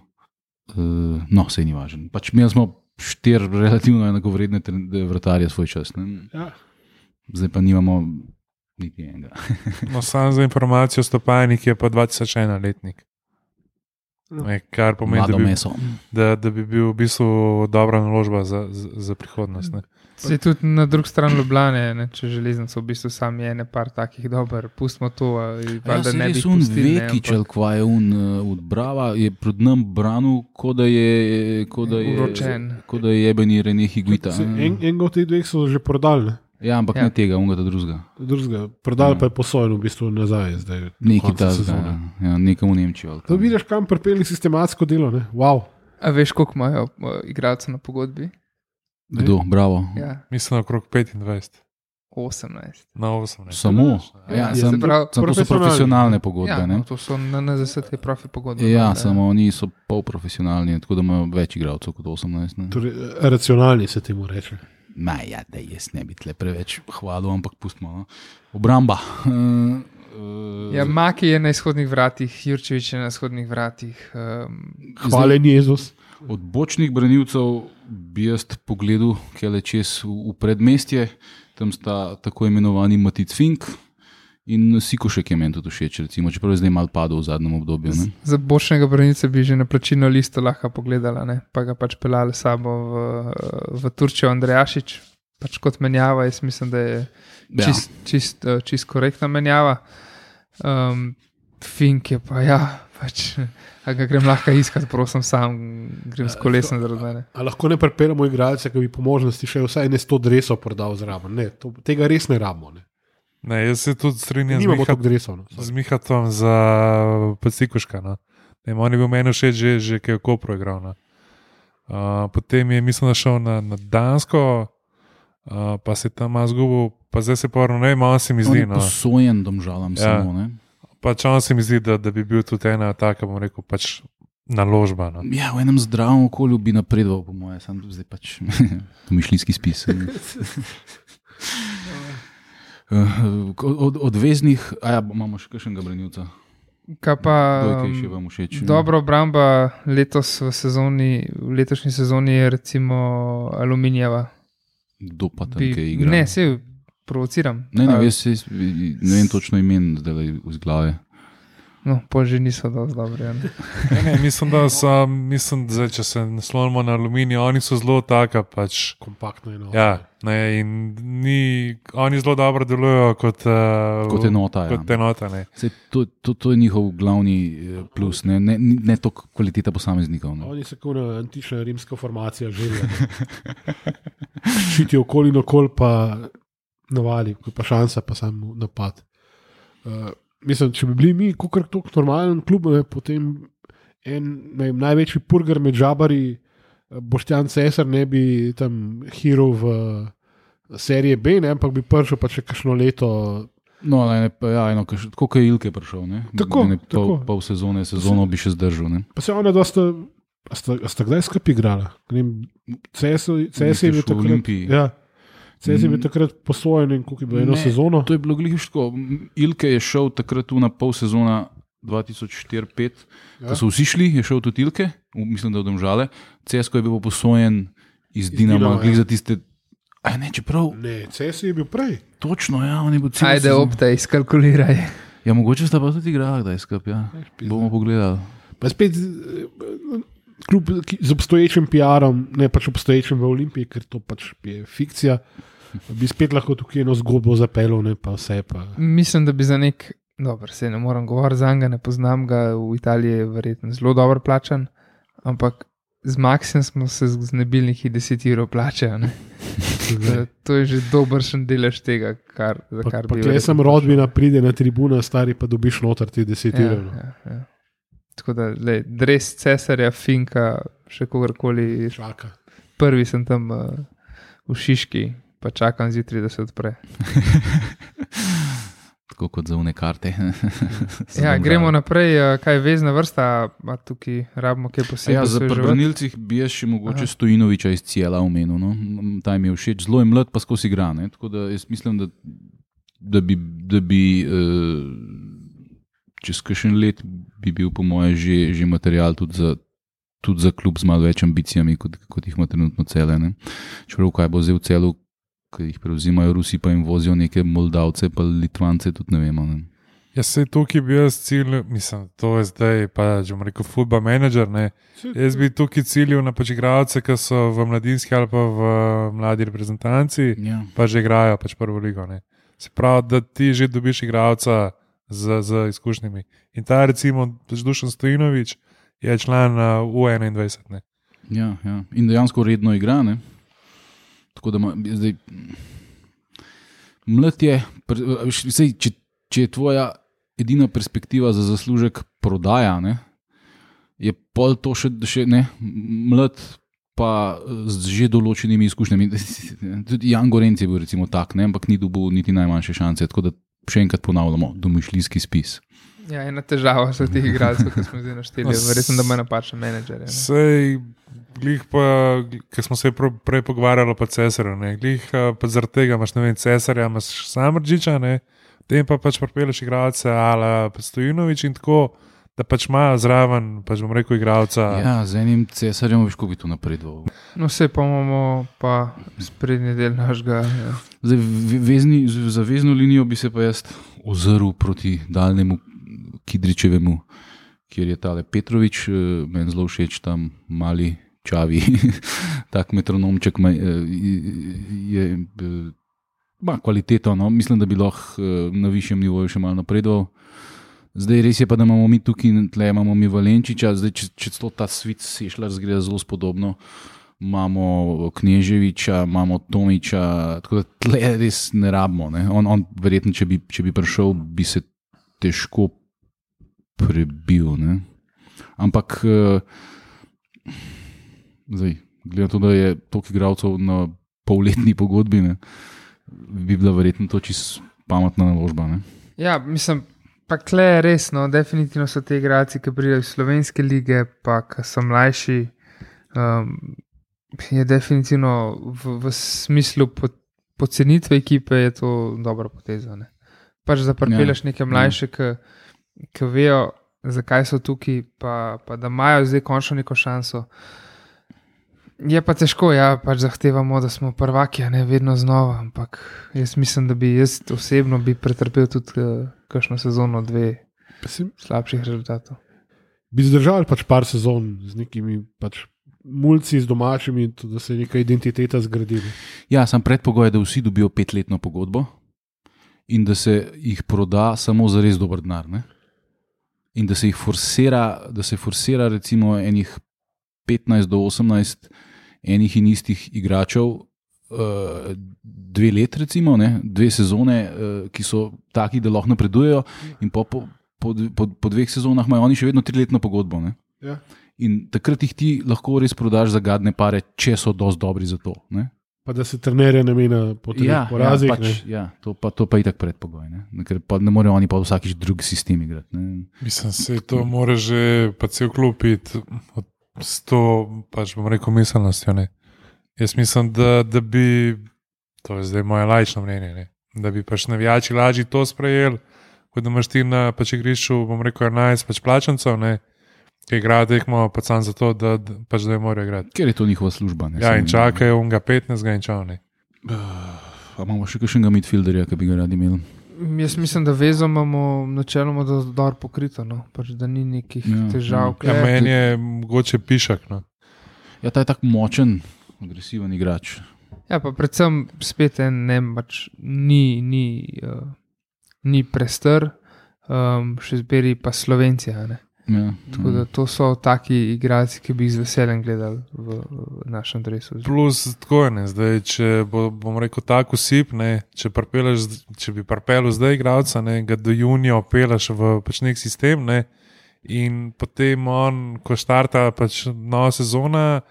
No, sej ni važen. Pač imeli smo 4 relativno enakovredne vratarje svoj čas. Ne? Ja. Zdaj pa nimamo niti enega. No, samo za informacijo, Stopajnik je pa 2001 letnik. Kar pomeni, da bi bil v bistvu dobra naložba za prihodnost. Ne? Se tudi na drugi strani Ljubljane, ne, če železnico v bistvu sam je par takih dober, pustimo to. Da ne bi pustili. Vekičel, kva je od Brava, je pred nam branil, ko da je jebeni Rene Higuita. Enega od teh dveh so že prodali, ne? Ja, ampak ne tega, unga drugega. Prodali pa je posojen v bistvu nazaj. Neki ta sezona. Ja, nekam v Nemčijo. To vidiš, kam pripeli sistematsko delo, ne? Wow. A veš, koliko imajo igralcev na pogodbi? Kdo? Bravo. Ja. Mislim, okrog 25. 18. Na 18. Samo? Ja, to so profesionalne pogodbe, ne? Ja, to so na NZS profi pogodbe. Ja, samo oni so polprofesionalni, tako da imajo več igralcev kot 18. Torej, racionalni se temu reče. Ja, da jaz ne bi tle preveč hvalil, ampak pustimo. No? Obramba. Ja, Maki je na izhodnih vratih, Jurčevič je na izhodnih vratih. Hvalen Jezus. Od bočnih branilcev bi jaz pogledal, kaj le čez v predmestje. Tam sta tako imenovani Matic Fink In Sikošek je meni tudi všeč, recimo, čeprav je zdaj malo padel v zadnjem obdobju. Ne? Za boljšega branilca bi že na plačilno listo lahko pogledala, ne? Pa ga pač pelali sabo v Turčijo Andrejašič, pač kot menjava, jaz mislim, da je čist korektna menjava. Fink je pa, pač, a ga grem lahko iskat, prosim, sam grem s kolesom zaradi mene. A lahko ne prepeljamo igralce, ki bi po možnosti še vsaj 100 dresov prodal zraven? Ne, tega res ne rabimo, ne. Ne, jaz se tudi strinjam z Mihatom za Sikoška. No. On je bil meni všeč že kaj je Kopro igral. No. Potem je, mislim, da šel na Dansko, pa se tam malo zgubil, pa zdaj se porno, ne vem, on se mi zdi. On je posojen Domžalam samo, ne? Pač on se mi zdi, da bi bil tudi ena taka, bom rekel, pač naložba. No. Ja, v enem zdravem okolju bi napredoval, po moje, sam zdaj pač domišljijski spis. Od veznih, imamo še kakšnega branilca. Kaj pa, dobra obramba letos v letošnji sezoni je recimo Aluminijeva. Kdo pa tam kaj igra? Ne, se provociram. Ne vem točno imen zdaj iz glave. No, pa že niso dosti dobri. Mislim, da če se naslonimo na Aluminij, oni so zelo taka, pač kompaktno enota. Ja, in oni zelo dobro delujejo kot enota. Kot enota, ne. To je njihov glavni plus, ne to kvaliteta posameznikov. Ne. Oni so kot antična rimska formacija želja. Ščiti okoli in okoli, pa navali, ko pa šansa, pa samo napad. Mislim, če bi bili mi kakor tok normalen klub, potem največji purger med žabari, Boštjan Cesar, ne bi tam hero v serije B, ampak bi prišel pa če kakšno leto. No, koliko je Ilke prišel, ne? Tako. Pol sezono bi še zdržal, ne? Pa se ona dosta, sta kdaj skupaj igrala? Cesar je bil takrat. Olimpiji. Ja. Cez je bil takrat posojen in koliko je bilo eno sezono. To je bilo gliško. Ilke je šel takrat tu na pol sezona 2004-2005, ko so vsi šli, je šel tudi Ilke, mislim, da v Domžale. Cesko je bil posojen iz Dinama, glih za tiste. Čeprav. Ne, Ces je bil prej. Točno, ja, on je bil cel. Ajde, optaj, skalkuliraj. Ja, mogoče sta pa tudi igrala, da je skup, ja. Bomo pogledali. Pa spet kljub z obstoječim PR-om, ne pač obstoječim v Olimpiji, ker to pač je fikcija, bi spet lahko tukaj eno zgodbo zapeljal, ne pa vse. Pa. Mislim, da bi za dobro, se ne moram govoriti za njega, ne poznam ga, v Italiji je verjetno zelo dobro plačan, ampak z Maxijem smo se znebili nekih 10 evrov plače. To je že dobršen delež tega, kar bi... Pa sem rodbina, pride na tribuna, stari pa dobiš noter ti 10 evrov. Ja. Tako da, dres Cesarja, Finka, še kogarkoli. Čaka. Prvi sem tam v Šiški, pa čakam zjutraj, da se odpre. Tako kot za une karte. Gremo naprej. Kaj je vezna vrsta, a tukaj rabimo kaj posebej? Ja, za branilcih bi jaz še mogoče Stojinoviča iz Cijela omenil. No? Ta mi je všeč, zelo je mlad, pa skozi igra. Ne? Tako da jaz mislim, da bi čez kakšen let bi bil po moje že material tudi za klub z malo več ambicijami, kot jih ima trenutno Cele. Čeprav kaj bo zdaj v Celu, ki jih prevzimajo Rusi, pa jim vozijo neke Moldavce, pa Litvance, tudi ne vemo. Ne? Ja, sej tukaj bi jaz cilj, mislim, to je zdaj pa, če bom rekel, football manager, ne. Jaz bi tukaj ciljil na pač igralce, ki so v mladinski ali pa v mladi reprezentanci, pa že igrajo pač prvo ligo, ne. Se pravi, da ti že dobiš igralca z izkušnjami. In ta recimo Dušan Stojinovič je član U21. Ne? Ja. In dejansko redno igra. Ne? Tako da zdaj mlad je, če je tvoja edina perspektiva za zaslužek prodaja, ne? Je pol to še ne, mlad pa z že določenimi izkušnjami. Tudi Jan Gorenc je bil recimo tak, ne? Ampak ni dobil niti najmanjše šance, tako da še enkrat ponavljamo, domišljijski spis. Ja, ena težava so teh igralcev, ki smo zdaj našteli. Verjetno, da ima napačen menedžer. Sej, glih pa, ker smo se prej pogovarjali pa Cesarja, ne, glih pa zaradi tega imaš, ne vem, Cesarja, imaš Samardžiča, ne, tem pa pač pripeleš igralce ala Stojinovič in tako, da pač ima zraven, pač bom rekel, igralca. Ja, z enim Cesarjem veš, kako bi to napredoval. No, vse pa imamo pa sprednji del našega. Ja. Zdaj, za vezno linijo bi se pa jaz ozrl proti daljnemu Kidričevemu, kjer je tale Petrovič, meni zelo všeč tam mali Čavi, tak metronomček ima kvaliteto, no? Mislim, da bi lahko na višjem nivoju še malo napredoval. Zdaj res je pa, da imamo mi tukaj, tle imamo mi Valenčiča, zdaj če celo ta svit Sešljar zgleda zelo spodobno, imamo Kneževiča, imamo Tomiča, tako da tle res ne rabimo. Ne? On verjetno, če bi prišel, bi se težko prebil. Ne? Ampak zdaj, glede na to, da je toliko igralcev na polletni pogodbi, ne, bi bila verjetno to čisto pametna naložba. Ne? Ja, mislim, pa kle je res, no, definitivno so te igralci, ki pridejo iz slovenske lige, pa ki so mlajši, je definitivno v smislu pocenitve ekipe je to dobra poteza. Ne? Pač da pripeljaš neke mlajše, ki vejo, zakaj so tukaj, pa da imajo zdaj končno neko šanso. Je pa težko, ja, pač zahtevamo, da smo prvaki, a ne vedno znova, ampak jaz mislim, da bi jaz osebno bi pretrpel tudi kakšno sezono, 2 slabših rezultatov. Bi zdržali pač par sezon z nekimi pač mulci, z domačimi, da se je neka identiteta zgradila. Ja, sam predpogoj je, da vsi dobijo 5-letno pogodbo in da se jih proda samo za res dober denar, ne? In da se jih forsira recimo enih 15 do 18 enih in istih igračev 2 let recimo, ne? 2 sezone, ki so taki, da lahko napredujejo in po 2 sezonah imajo oni še vedno 3-letno pogodbo. Ne? Ja. In takrat jih ti lahko res prodaš za gadne pare, če so dosti dobri za to. Ne? Pa da se trenerje namenja po teh porazih. To pa itak predpogoj, ne? Ker pa ne morejo oni pa vsakič drug sistem igrati. Ne? Mislim, se to mora že pa cel klub iti s to, pač bom rekel, miselnostjo. Ne? Jaz mislim, da bi, to je zdaj moje laično mnenje, ne? Da bi pač navijači lažje to sprejeli, kot da imaš ti na pač igrišču, bom rekel, 11 pač plačancov, ki igrajo tekmo pač samo zato, da pač da je morajo igrati. Ker je to njihova služba. Ne? Ja, in čakajo unga 15 in čao. A imamo še kakšnega midfielderja, ki bi ga radi imeli? Jaz mislim, da vezo imamo načeloma dobro pokrito, no? Pač, da ni nekih težav. Ja, meni je mogoče Pišak. No? Ja, ta je tak močen, agresiven igrač. Ja, pa predvsem spet pač ni prestar, še zberi pa Slovencija. Ne? Ja, tako da to so taki igralci, ki bi jih z veseljem gledali v našem dresu. Plus tako je, zdaj, če bom rekel tako sip, če bi pripeljal zdaj igralca, ga do junija opelaš v pač nek sistem, in potem on, ko štarta pač nova sezona,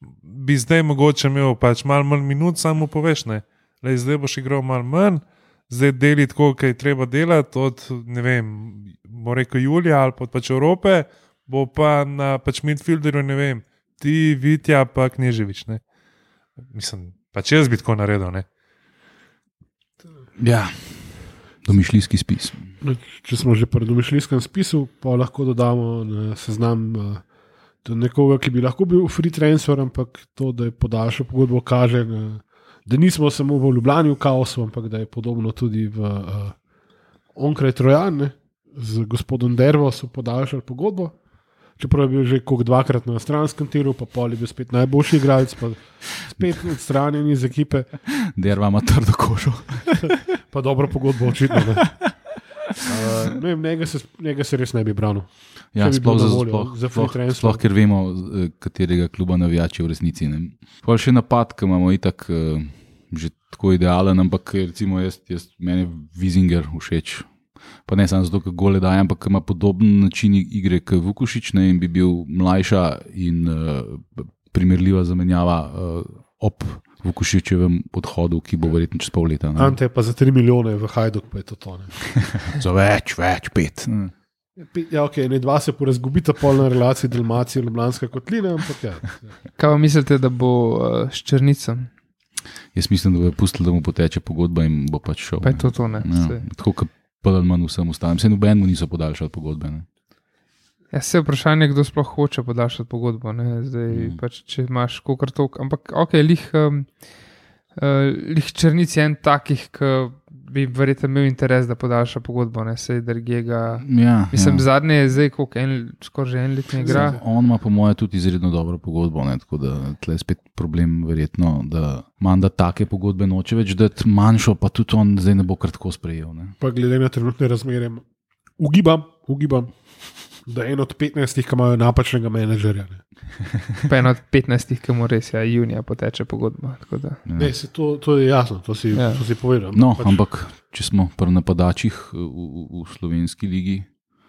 bi zdaj mogoče imel pač malo manj minut, samo poveš, zdaj boš igral malo manj, zdaj deli tako, kaj treba delati od, ne vem, bo rekel Julija ali pač Evrope, bo pa na pač midfielderju, ne vem, ti, Vitja pa Kneževič, Mislim, pač jaz bi tako naredil, Ja, domišljijski spis. Če smo že pri domišljijskem spisu, pa lahko dodamo na seznam nekoga, ki bi lahko bil free transfer, ampak to, da je podaljšal pogodbo, kaže, da nismo samo v Ljubljani v kaosu, ampak da je podobno tudi v onkraj Trojan, z gospodom Dervo so podaljšali pogodbo, čeprav je bil že dvakrat na stranskem tiru, pa pol je bil spet najboljši igralec, pa spet odstranjen iz ekipe. Derva ima trdo kožo. Pa dobro pogodbo, očitno. Njega se res ne bi branil. Ja, sploh ker vemo, katerega kluba navijači v resnici. Pa še napad, ki imamo itak že tako idealen, ampak recimo meni je Wiesinger všeč. Pa ne samo zato, ker gole daje, ampak ima podoben način igre kot Vukušić, in bi bil mlajša in primerljiva zamenjava ob Vukušićevem odhodu, ki bo verjetno čez pol leta. Ante je pa za 3 milijone v Hajduk, pa je to. Za več, 5. Ja, ok, ne 2 se porazgubita polna relacija Dalmacije in Ljubljanska kotlina, ampak ja. Kaj vam mislite, da bo s Črnicom? Jaz mislim, da bo pustil, da mu poteče pogodba in bo pač šel. Pa je to, ne? Ja, tako kot pa manj vsem ostalim. Se nobenemu niso podaljšali pogodbe. Ne? Ja, se vprašanje, kdo sploh hoče podaljšati pogodbo. Zdaj, pač, če imaš kokar tok, ampak lih Črnic je en takih, ki bi verjetno imel interes, da podaljša pogodbo, sej Dergega. Mislim, zadnje je zdaj, skoraj že en let ne igra. On ima po moje tudi izredno dobro pogodbo, tako da tle je spet problem verjetno, da Manda take pogodbe noče več dati, manjšo pa tudi on zdaj ne bo kar tako sprejel. Pa glede na trenutne razmere, ugibam, da en od 15, ki imajo napačnega menedžerja. Pa en od 15, ki mu res junija poteče pogodba. Ne, to je jasno, to si povedal. No, ampak če smo pri napadačih v slovenski ligi,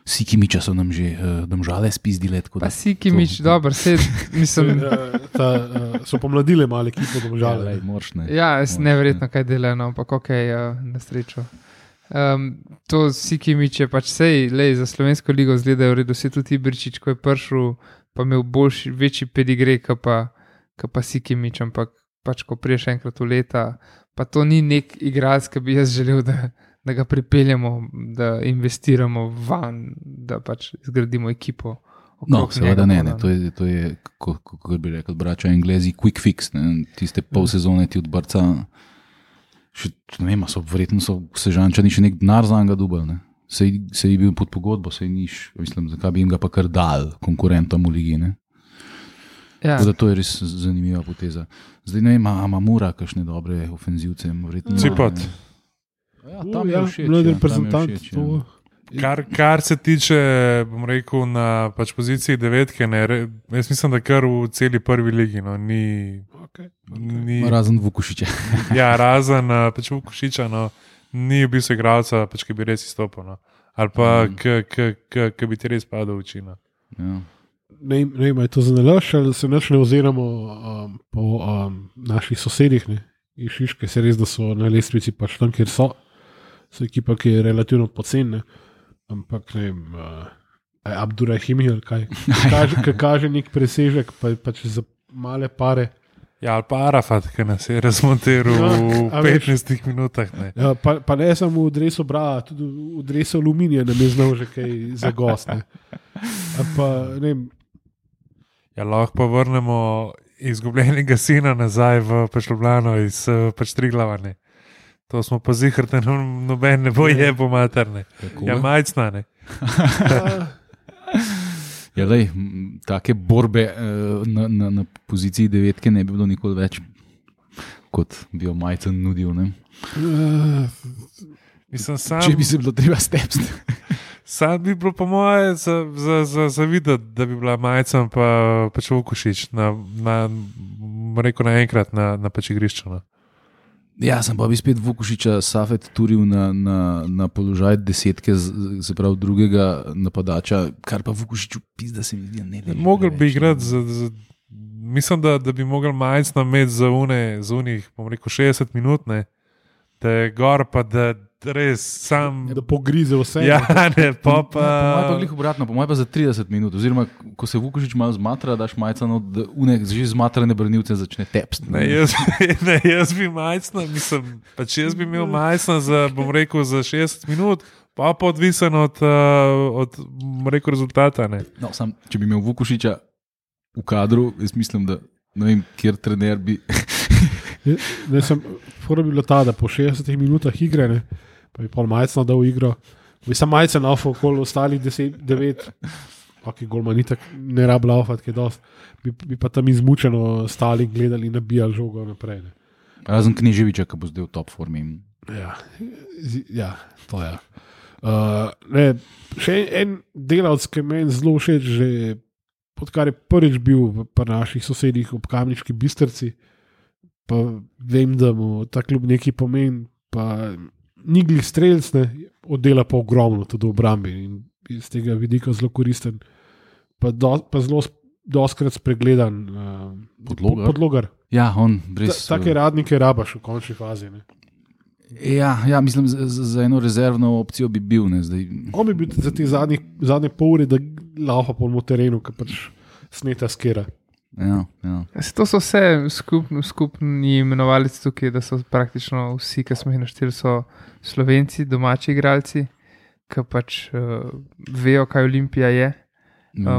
Sikimiča so nam že Domžale spizdile. Pa Sikimič, dobro, mislim. So pomladile male ekipo Domžale. Ja, neverjetno kaj delajo, ampak na srečo. To Sikimič je pač za slovensko ligo zgledajo v redu, se tudi Ibričič, ko je prišel, pa imel večji pedigrej, pa Sikimič, ampak pač ko priješ enkrat v leta, pa to ni nek igralec, ki bi jaz želel, da ga pripeljemo, da investiramo van, da pač zgradimo ekipo. No, seveda ne, to je, kako bi rekel, brača Englezi, quick fix, tiste pol sezone ti od Barca. Verjetno so Sežančani še nek denar za njega dubali. Se je bil pod pogodbo, mislim, zakaj bi jim ga pa kar dal konkurentom v ligi. Ja. To je res zanimiva poteza. Zdaj ne vem, ima Mura kakšne dobre ofenzivce. Cipat. Tam je všeč. Mladi reprezentant. Kar se tiče, bom rekel, na pač poziciji devetke, jaz mislim, da kar v celi prvi ligi, ni razen Vukušiča. Ja, razen pač Vukušiča, ni v bistvu igralca, pač, ki bi res izstopil, ali pa ki bi ti res padel v oči. Ja. Ne vem, je to zanalaš, ali se ne oziramo po naših sosedih, iz Šiške, se res, da so na lestvici pač tam, kjer so ekipa, ki je relativno poceni. Ampak ne vem, Abdurahimi ali kaj. Kaže nek presežek, pač za male pare. Ja, ali pa Arafat, ki nas je razmontiral v 15 minutah. Ja, pa ne samo v dresu Braga, tudi v dresu Aluminija nam je znal že kaj za gost. Ja, lahko pa vrnemo izgubljenega sina nazaj v Ljubljano iz Triglava. To smo pa zihrte, noben ne bo jebo materne. Ja, majcna, ne. Ja, lej, take borbe na poziciji devetke ne bi bilo nikoli več, kot bi jo majcen nudil, ne. Če bi se bilo treba stepsti. Sam bi bilo po moje za videti, da bi bila majcen pa pač Vukušič naenkrat na pač igrišču. Ja, sem pa bi spet Vukušiča Safet turil na položaj desetke, se pravi drugega napadača, kar pa Vukušiču pizda se mi zdi, ne vem. Mogel bi igrati mislim, da bi mogel majcno imeti za unih, bom rekel, 60 minut, ne, da je gor pa da res sam... Da pogrize vse. Ja, ne, pa... Po mojem pa glih obratno, po mojem pa za 30 minut, oziroma, ko se Vukušič malo zmatra, daš majcano, da že zmatrane branilce začne tepst. Ne, jaz bi majcno, mislim, pač jaz bi imel majcno za, bom rekel, za 60 minut, pa odvisen od rekel, rezultata, ne. No, sam, če bi imel Vukušiča v kadru, jaz mislim, da ne vem, kjer trener bi... Fora bi bilo ta, da po 60 minutah igre, ne, pa bi pol majcno dal igro, bi sam majcen laufal okoli ostalih 9, ok, golman itak ne rab laufat, kaj dost, bi pa tam izmučeno stali, gledali, nabijali žogo naprej. Ne. Razen Kneževiča, ki bo zdaj v top formi. Ja, to je. Ne, še en delavc, ki meni zelo všeč, že odkar je prvič bil pri naših sosedih ob Kamniški Bistrci, pa vem, da mu ta klub nekaj pomeni, pa ni glih strelc, ne, oddela pa ogromno tudi v obrambi in iz tega vidika zelo koristen, pa zelo doskrat spregledan podlogar. Ja, on brez... Take radnike rabaš v končni fazi, ne. Ja, mislim, za eno rezervno opcijo bi bil, ne, zdaj. On bi bil za te zadnje pol ure, da laufa po terenu, ki pač sneta skera. Ja. To so vse skupni imenovalci tukaj, da so praktično vsi, ki smo jih našteli, so Slovenci, domači igralci, ki pač vejo, kaj Olimpija je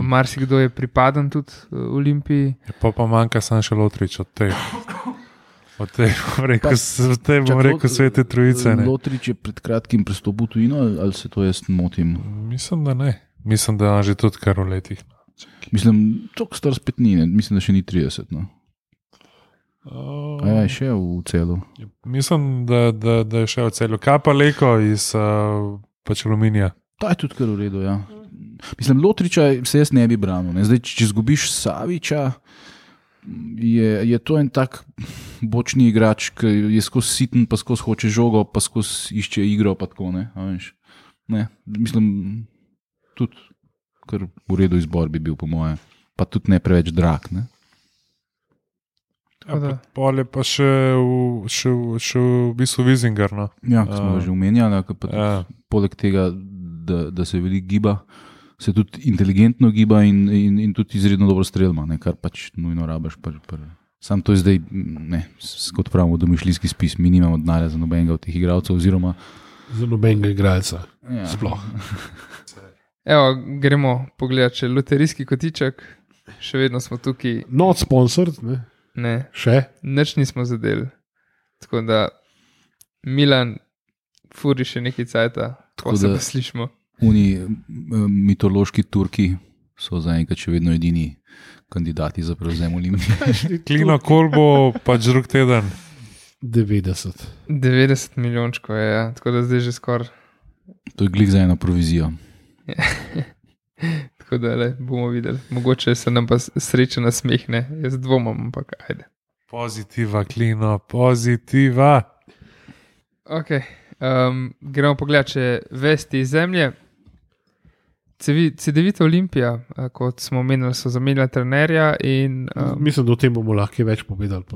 Marsikdo je pripadan tudi Olimpiji. Pa manjka samo še Lotrič od teh. Od teh bom rekel svete trojice. Lotrič je pred kratkim prestopil tujino, ali se to jaz motim? Mislim, da ne. Mislim, da je že tudi kar v letih. Mislim, toliko star spet ni, mislim, da še ni 30. No. Je še v celu. Mislim, da je še v celu. Kaj pa Leko iz pač Aluminija? To je tudi kar v redu, ja. Mislim, Lotriča se jaz ne bi branil. Ne? Zdaj, če izgubiš Saviča, je to en tak bočni igrač, ki je skozi siten, pa skozi hoče žogo, pa skozi išče igro, pa tako, ne. Ne, mislim, tudi kar v redu izbor bi bil, po moje. Pa tudi ne preveč drag, ne. Pol je pa še v bistvu Vizingar, no. Ja, ko smo že omenjali, poleg tega, da se veliko giba, se tudi inteligentno giba in tudi izredno dobro strelma, ne, kar pač nujno rabaš. Sam to je zdaj, ne, kot pravimo, domišljijski spis, mi nimamo denarja za nobenega od teh igralcev, oziroma za nobenega igralca. Ja. Sploh. Evo, gremo pogledati, če loterijski kotiček, še vedno smo tukaj. Not sponsored, ne? Ne. Še? Nič nismo zadeli. Tako da Milan furi še nekaj cajta, ko se pa slišimo. Oni mitološki Turki so zaenkrat še vedno edini kandidati za prevzem Olimpije. Klino, kol bo pač drug teden? 90. 90 milijončkov je, ja. Tako da zdaj že skoraj. To je glih za eno provizijo. Tako da bomo videli. Mogoče se nam pa sreča nasmehne. Jaz dvomam, ampak ajde. Pozitiva, Klino, pozitiva. Ok, gremo pogledati, če vesti iz zemlje. CD-vita Olimpija, kot smo omenili, so zamenjali trenerja in... Mislim, da o tem bomo lahko več povedali,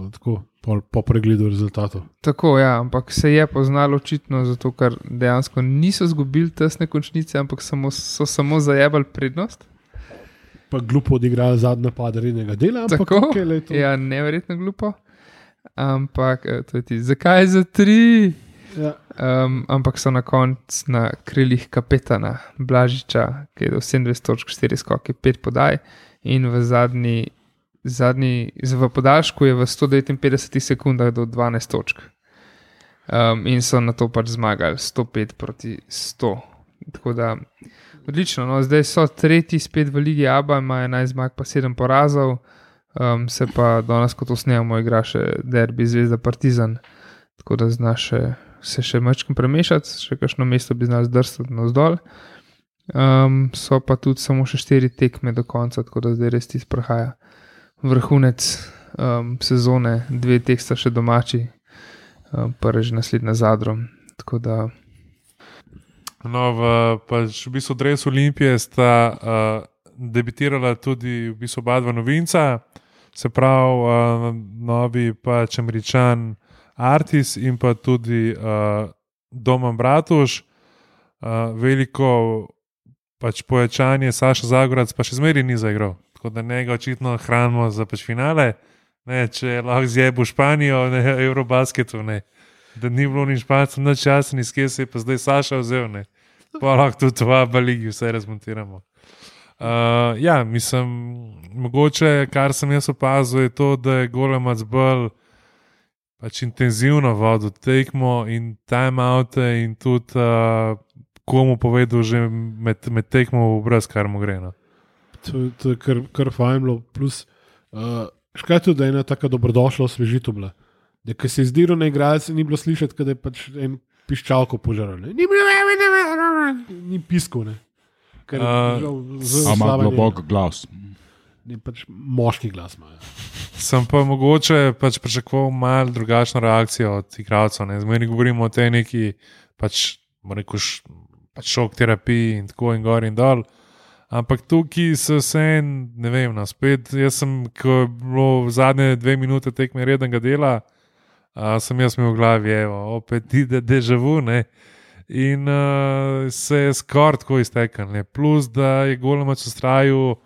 po pregledu rezultatov. Tako, ja, ampak se je poznalo očitno, zato ker dejansko niso zgubili tesne končnice, ampak so samo zajebali prednost. Pa glupo odigrali zadnje napad rednega dela. Tako, ja, neverjetno glupo. Ampak, to je ti, zakaj za 3? Ja. Ampak so na koncu na krilih kapetana Blažiča, ki je do 27.4 skoki, 5 podaj in v podaljšku je v 159 sekundah do 12 točk. In so na to pač zmagali 105 proti 100. Tako da odlično, no, zdaj so tretji spet v Ligi ABA, ima 11 zmag pa 7 porazov, se pa danes, ko to snemamo, igra še derbi Zvezda Partizan, tako da znaš se še mačkim premešati, še kakšno mesto bi znali zdrsati navzdol. So pa tudi samo še 4 tekme do konca, tako da zdaj res tisto prihaja vrhunec sezone, 2 teh sta še domači, prvi že naslednja Zadrom, tako da... No, v bistvu dresu Olimpije sta debitirala tudi v bistvu oba dva novinca, se pravi novi pač Američan Artis in pa tudi Domen Bratuš. Veliko pač povečanje, Saša Zagorac pa še zmeraj ni zaigral, tako da njega očitno hranimo za pač finale, ne, če lahko zjebu Španijo, ne, Eurobasketu, ne, da ni bilo ni Špancem, nič časa, iz kje se je pa zdaj Saša vzel, ne, pa lahko tudi v ABA ligi vse razmontiramo. Ja, mislim, mogoče, kar sem jaz opazil, je to, da je Golemac bolj pač intenzivno vodil tekmo in time-oute in tudi komu povedal že med tekmo v brez, kar mu gre. No. To je kar fajn bilo, plus škaj tudi, da je ena taka dobrodošla osvežitev bila, da ko se je zdiral na igralce, ni bilo slišati, da je pač en piščalko požaral, ni piskal, ne. Ker ima globok glas. Ni pač moški glas ima. Sem pa mogoče pač pričakoval malo drugačno reakcijo od igralcev. Zmeraj govorimo o tej neki pač šok terapiji in tako in gor in dol. Ampak tukaj so vse, ne vem, spet, jaz sem, ko je bilo v zadnje 2 minute tekme rednega dela, sem jaz imel v glavi, evo, opet ide déjà vu, ne. In se je skoraj tako iztekel, ne. Plus, da je Golemac ustrajal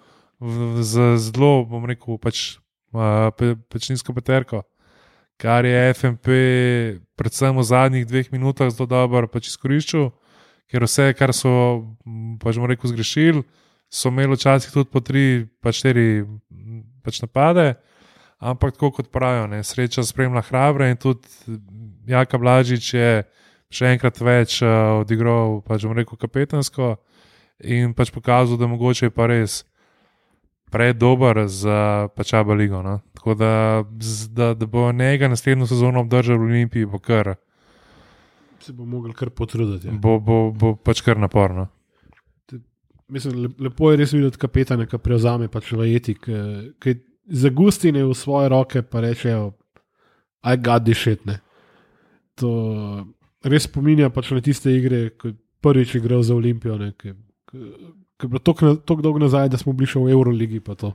z zelo, bom rekel, pač nizko peterko, kar je FMP predvsem v zadnjih 2 minutah zelo dobro pač izkoriščal, ker vse, kar so pač, bom rekel, zgrešili, so imeli včasih tudi po 3, pa 4 napade, ampak tako kot pravijo, ne, sreča spremlja hrabre in tudi Jaka Blažič je še enkrat več odigral, pač bom rekel, kapetansko in pač pokazal, da mogoče je pa res predober za pač ABA ligo. No. Tako da bo njega naslednjo sezono obdržal v Olimpiji, bo kar. Se bo mogel kar potruditi. Ja. Bo pač kar naporno. Mislim, lepo je res videti kapetane, ki prevzame pač vajeti, ki zagustine v svoje roke, pa rečejo, I got this shit, ne. To res spominja pač na tiste igre, ko prvič igral za Olimpijo, ne, ki je bilo toliko dolgo nazaj, da smo bili še v Euroligi, pa to.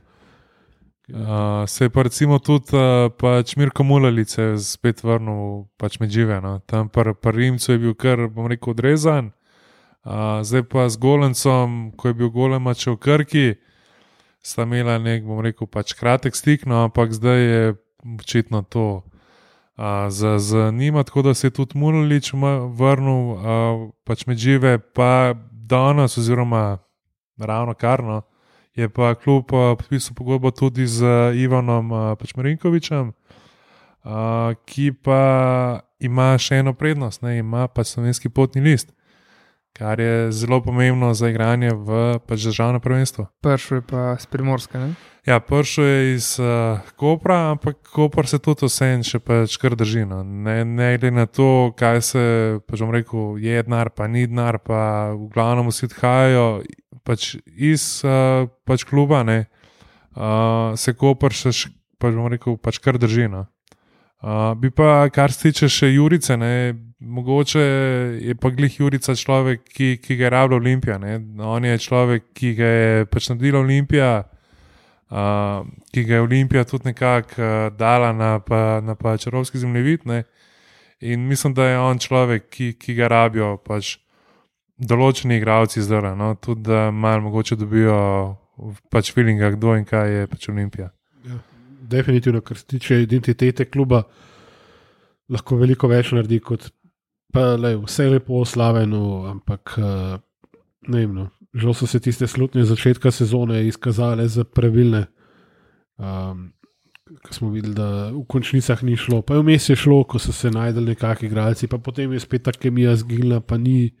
Se je pa recimo tudi pač Mirko Mulalic spet vrnil pač med žive, no. Tam pri Rimcu je bil kar, bom rekel, odrezan. Zdaj pa z Golencom, ko je bil Golemač v Krki, sta imela nek, bom rekel, pač kratek stik, no, ampak zdaj je očitno to za njima, tako da se je tudi Mulalic vrnil pač med žive, pa danes oziroma ravno karno, je pa klub podpisal pogodbo tudi z Ivanom pač Marinkovičem, ki pa ima še eno prednost, ne, ima pa slovenski potni list, kar je zelo pomembno za igranje v pač državno prvenstvo. Pršel je pa iz Primorske, ne? Ja, pršel je iz Kopra, ampak Kopr se tudi vseeno še pač kar drži. No. Ne glede na to, kaj se, pač bom rekel, je denar, pa ni denar, pa v glavnem vsi odhajajo pač iz pač kluba, ne, se Kopr še, pač bom rekel, pač kar drži. No. Bi pa, kar se tiče še Jurice, ne, mogoče je pa glih Jurica človek, ki ga je rabila Olimpija. Ne. On je človek, ki ga je pač naredila Olimpija, ki ga je Olimpija tudi nekako dala na pač evropski zemljevid, ne. In mislim, da je on človek, ki ga rabijo pač določeni igralci zdaj, no. Tudi da malo mogoče dobijo pač feelinga, kdo in kaj je pač Olimpija. Ja, definitivno, kar se tiče identitete kluba, lahko veliko več naredi kot pa vse lepo slaveno, ampak ne vem, no. Žal so se tiste slutne začetka sezone izkazale za pravilne, ko smo videli, da v končnicah ni šlo. Pa je vmes je šlo, ko so se najdeli nekakšni igralci, pa potem je spet ta kemija zginila, pa ni.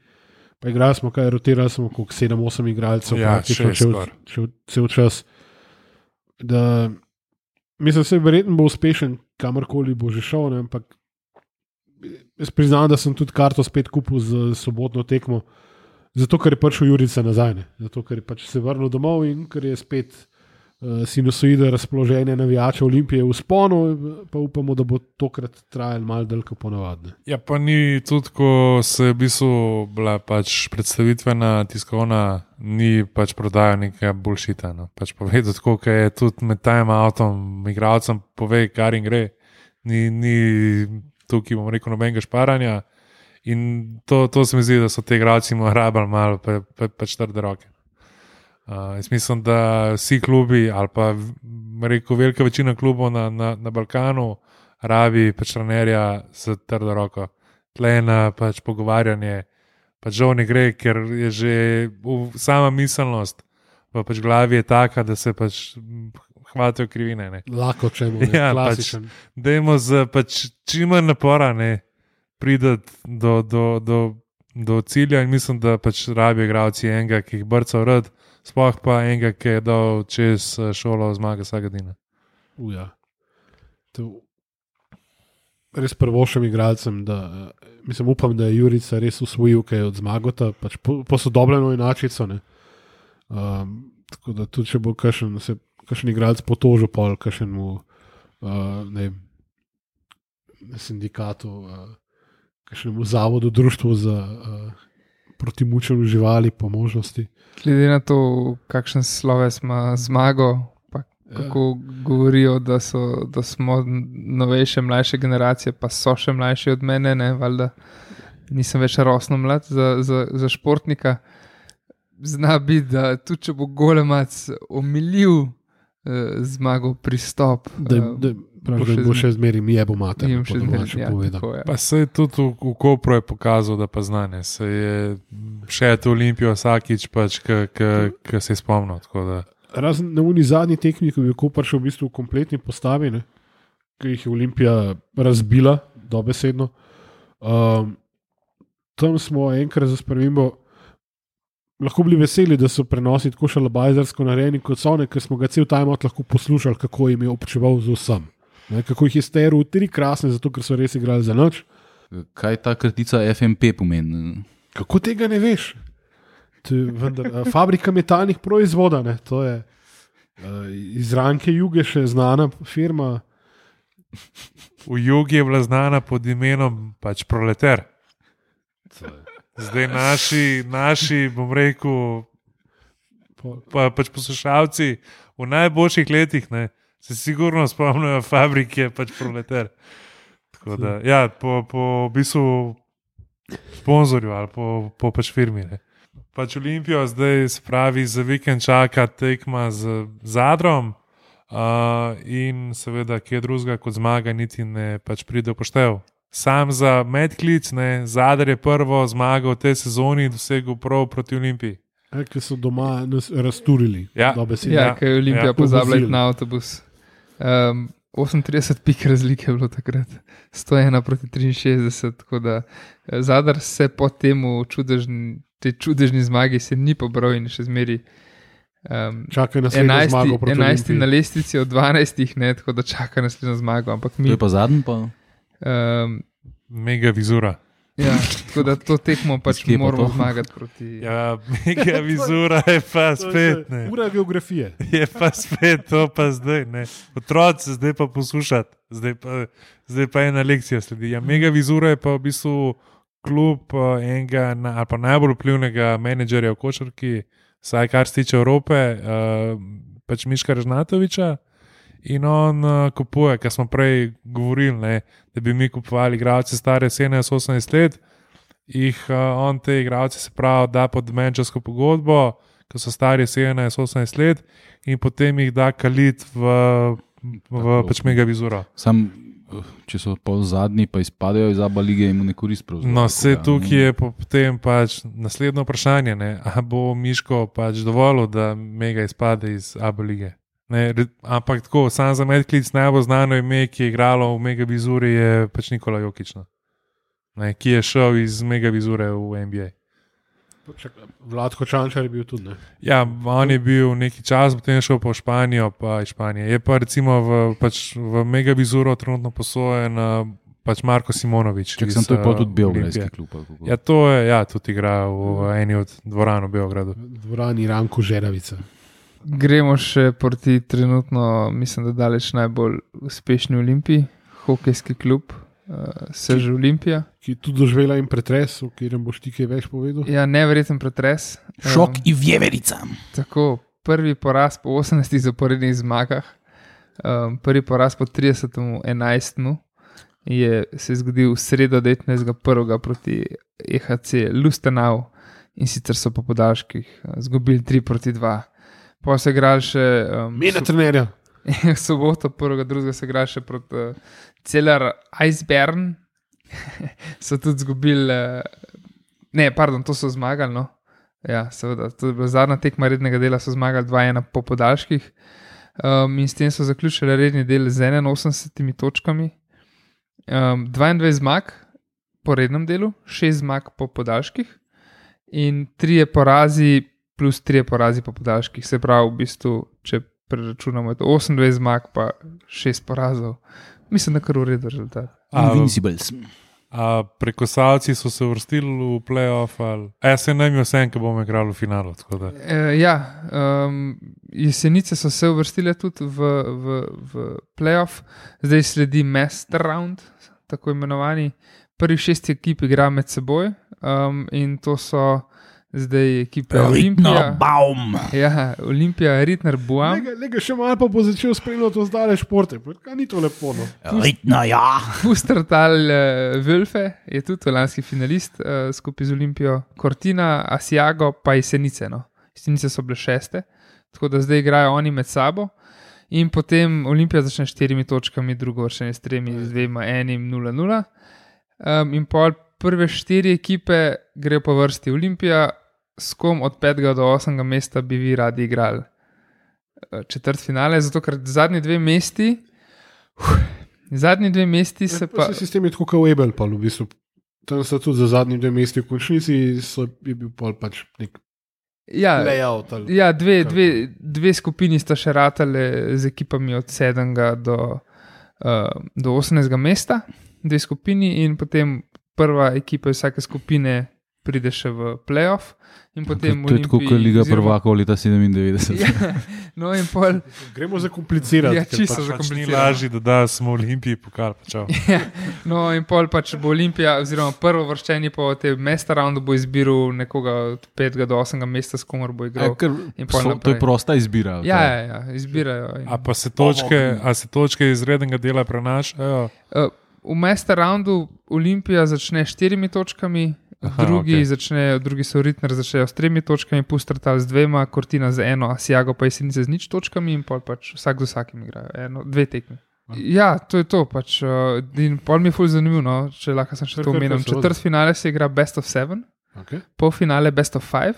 Pa igrali smo, rotirali smo okrog 7-8 igralcev, ja, praktično cel čas. Da, mislim, da se verjetno bo uspešen, kamorkoli bo že šel, ne, ampak jaz priznam, da sem tudi karto spet kupil za sobotno tekmo. Zato, ker je prišel Jurica nazaj, ne? Zato, ker je pač se vrnil domov in ker je spet sinusoida razpoloženja navijača Olimpije v sponu, pa upamo, da bo tokrat trajal malo dlje kot ponavadi. Ja, pa ni tudi, ko se je v bistvu bila pač predstavitvena tiskovna, ni pač prodaja nekaj bullshita. No. Pač povedal tako, ker je tudi med time outom igralcem pove, kar jim gre. Ni tukaj, bom rekel, nobenega šparanja. In to se mi zdi, da so te igralci rabili malo pač trde roke. Jaz mislim, da vsi klubi, ali pa rekel, velika večina klubov na Balkanu rabi pač trenerja z trdo roko. Tlena pač pogovarjanje, pač žal ne gre, ker je že sama miselnost v pač glavi je taka, da se pač hvatajo krivine. Ne. Lahko čemu, ne, ja, klasičen. Pač, dajmo z pač čim manj napora, ne, prideti do cilja in mislim, da pač rabijo igralci enega, ki jih brca rad, sploh pa enega, ki je dal čez šolo zmaga Sagadina. Ja. Res prvošem igralcem, da mislim, upam, da je Jurica res usvojil kaj od Zmagota, pač posodobljeno inačico, ne. Tako da tudi, če bo kakšen igralec potožil pol kakšnemu ne vem, sindikatu, kakšnemu zavodu, društvu za proti mučenju živali po možnosti. Glede na to, kakšen sloves ima Zmago, pa kako govorijo, da smo novejše, mlajše generacije, pa so še mlajši od mene, ne, valjda nisem več rosno mlad za športnika. Zna biti, da tudi če bo Golemac omilil Zmagov pristop. Pravi, bo še zmeri mi je bo mater, po domače povedal. Pa se je tudi v Kopru je pokazal, da pa znane. Se je še to Olimpijo vsakič, pač, ki se je spomnil. Razen na uni zadnji tekmi, ko je Koper šel v bistvu v kompletni postavi, ne, ki jih je Olimpija razbila, dobesedno. Tam smo enkrat za spremembo lahko bili veseli, da so prenosi tako šalabajzersko narejeni kot so, ker smo ga cel timeout lahko poslušali, kako jim je občeval z vsem. Ne, kako jih je steril 3 krasne, zato ker so res igrali za noč. Kaj ta kratica FMP pomeni? Kako tega ne veš? Fabrika metalnih proizvoda, ne, to je iz Ranke Juge še znana firma. V Jugi je bila znana pod imenom pač Proletar. Zdaj naši, bom rekel, pač poslušalci v najboljših letih, ne, se sigurno spomnijo fabrike pač Proletar. Tako da, ja, po v bistvu sponzorju ali po pač firmi, ne. Pač Olimpijo zdaj se pravi za vikend čaka tekma z Zadrom in seveda kje drugega kot zmaga niti ne pač pride v poštev. Sam za medklic, ne, Zadar je prvo zmago v tej sezoni dosegel prav proti Olimpiji. Ki so doma razturili. Ja, ker je Olimpija pozabila na avtobus. 38 pik razlike je bilo takrat. 101 proti 63, tako da Zadar se po temu čudežni zmagi se ni pobral in še zmeri čaka naslednjo zmago proti 11 na lestvici od 12, ne, tako da čaka naslednjo zmago. Ampak mi, to je pa zadnji pa? Mega Vizura. Ja, tako da to tekmo pač moramo zmagati proti... Ja, Mega Vizura je pa spet, ne. Ura geografije. Je pa spet, to pa zdaj, ne. Otroci zdaj pa poslušati, zdaj pa ena lekcija sledi. Ja, Mega Vizura je pa v bistvu klub enega ali pa najbolj vplivnega menedžerja v košarki, saj kar se tiče Evrope, pač Miška Režnatoviča. In on kupuje, kar smo prej govorili, ne, da bi mi kupovali igralce stare 17-18 let, on te igralce se pravi da pod menedžersko pogodbo, ko so stari 17-18 let in potem jih da kalit v pač Mega Vizuro. Sam, če so pol zadnji, pa izpadejo iz ABA lige, jim ne korist pravzaprav. No, vse tukaj je potem pač naslednjo vprašanje, ne, a bo Miško pač dovolil, da Mega izpade iz ABA lige. Ne, ampak tako, sam za medklic najbolj znano ime, ki je igralo v Mega Vizuri, je pač Nikola Jokić, ne, ki je šel iz Mega Vizure v NBA. Vlatko Čančar je bil tudi, ne? Ja, on je bil neki čas, potem je šel pa v Španijo, pa iz Španije. Je pa recimo v Mega Vizuro trenutno posojen pač Marko Simonović. Čak sem to je pa tudi beograjski klub. Ja, to je, ja, tudi igra v eni od dvoran v Beogradu. Dvorani Ranko Žeravica. Gremo še proti trenutno, mislim, da daleč najbolj uspešni Olimpiji, hokejski klub, Sež Olimpija. Ki je tudi doživela in pretres, o katerem boš ti kaj več povedal. Ja, neverjeten pretres. Šok in vjeverica. Tako, prvi poraz po 18 zaporednih zmagah, prvi poraz po 30.11. se je zgodil v sredo 19.1. proti EHC Lustenau in sicer so po podaljških zgubili 3-2. Pa se igrali še Mena trenerja. Soboto, 1.2. se igrali še proti Celer Eisbären. So tudi zgubili to so zmagali, no. Ja, seveda, to je bila zadnja tekma rednega dela, so zmagali 2-1 po podaljških. In s tem so zaključili redni del z 81 točkami. 22 zmag po rednem delu, 6 zmag po podaljških in 3 porazi plus 3 porazi po podaljških. Se pravi, v bistvu, če preračunamo, je to 28 zmag pa 6 porazov. Mislim, da kar v redu rezultat. Invincibles. Prekosalci so se uvrstili v play-off ali... se nam je vse, ki bomo igrali v finalu. Jesenice so se uvrstile tudi v play-off. Zdaj sledi master round, tako imenovani. Prvih 6 ekip igra med seboj in to so zdaj ekipe Olimpija. Ja, Olimpija, Ritner, Buam. Lega še malo pa bo začel spremljati ostale športe. Kaj ni to lepo, no? Ritno, ja. Pustertal Völfe je tudi lanski finalist skupaj z Olimpijo. Cortina, Asiago pa Jesenice, no. Jesenice so bile 6. Tako da zdaj igrajo oni med sabo. In potem Olimpija začne s 4 točkami, drugo vršenje s 3, z 2, 1, 0-0. In pol prve 4 ekipe grejo po vrsti. Olimpija, s kom od 5. do 8. mesta bi vi radi igrali četrtfinale, zato ker zadnji dve mesti se pa... Sistem je tako kot v Ebel, v bistvu. Tam so tudi za zadnji 2 mesti v končnici, je bil pol pač nek layout. Ja, dve skupini sta še ratale z ekipami od 7. do 18. mesta, 2 skupini in potem prva ekipa vsake skupine pride še v playoff. To je tako, kot Liga prvakov leta 97. Ja, no in pol... Gremo zakomplicirati. Ja, čisto zakomplicirati. Ni lažje, da smo v Olimpiji pokal. Ja, no in pol pač bo Olimpija, oziroma prvo vrščenje po tem mesta roundu bo izbiral nekoga od 5. do 8. mesta, s komer bo igral. To je prosta izbira. Ja, izbirajo. A pa se točke iz rednega dela prenašajo? V mesta roundu Olimpija začne 4 točkami, drugi so Ritner začnejo s 3 točkami, Pustertal z 2, Cortina z 1, Asiago pa Jesenice z 0 točkami in pol pač vsak z vsakim igrajo. 2 tekmi. Ja, to je to pač. In pol mi je ful zanimivo, no, če lahko sem še to omenim. Četrtfinale se igra best of 7, polfinale best of 5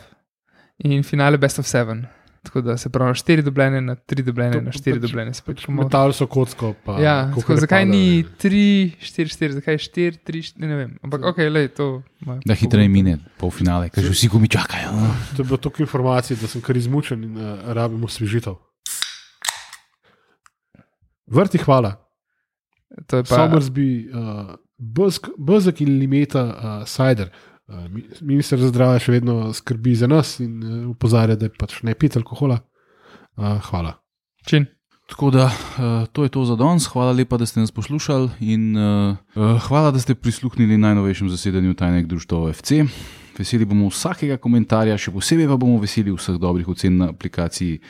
in finale best of 7. Tako da se pravi 4 dobljene na 3 dobljene na 4 dobljene. Metal so kocko. Ja, zakaj ni 3, 4, 4, zakaj 4, 3, 4, ne vem. Ampak to... Da hitreje mine polfinale, ker že vsi gumi čakajo. To je bilo toliko informacij, da sem kar izmučen in rabimo osvežitev. Vrti, hvala. Somersby, Bezek in Limeta, Cider. Minister za zdravje še vedno skrbi za nas in opozarja, da je pač ne piti alkohola. Hvala. Čin. Tako da, to je to za danes. Hvala lepa, da ste nas poslušali in hvala, da ste prisluhnili najnovejšem zasedanju Tajnega društva OFC. Veseli bomo vsakega komentarja, še posebej pa bomo veseli vseh dobrih ocen na aplikaciji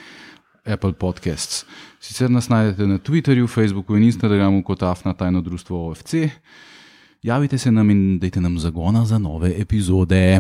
Apple Podcasts. Sicer nas najdete na Twitterju, Facebooku in Instagramu kot Afna Tajno društvo OFC. Javite se nam in dajte nam zagona za nove epizode.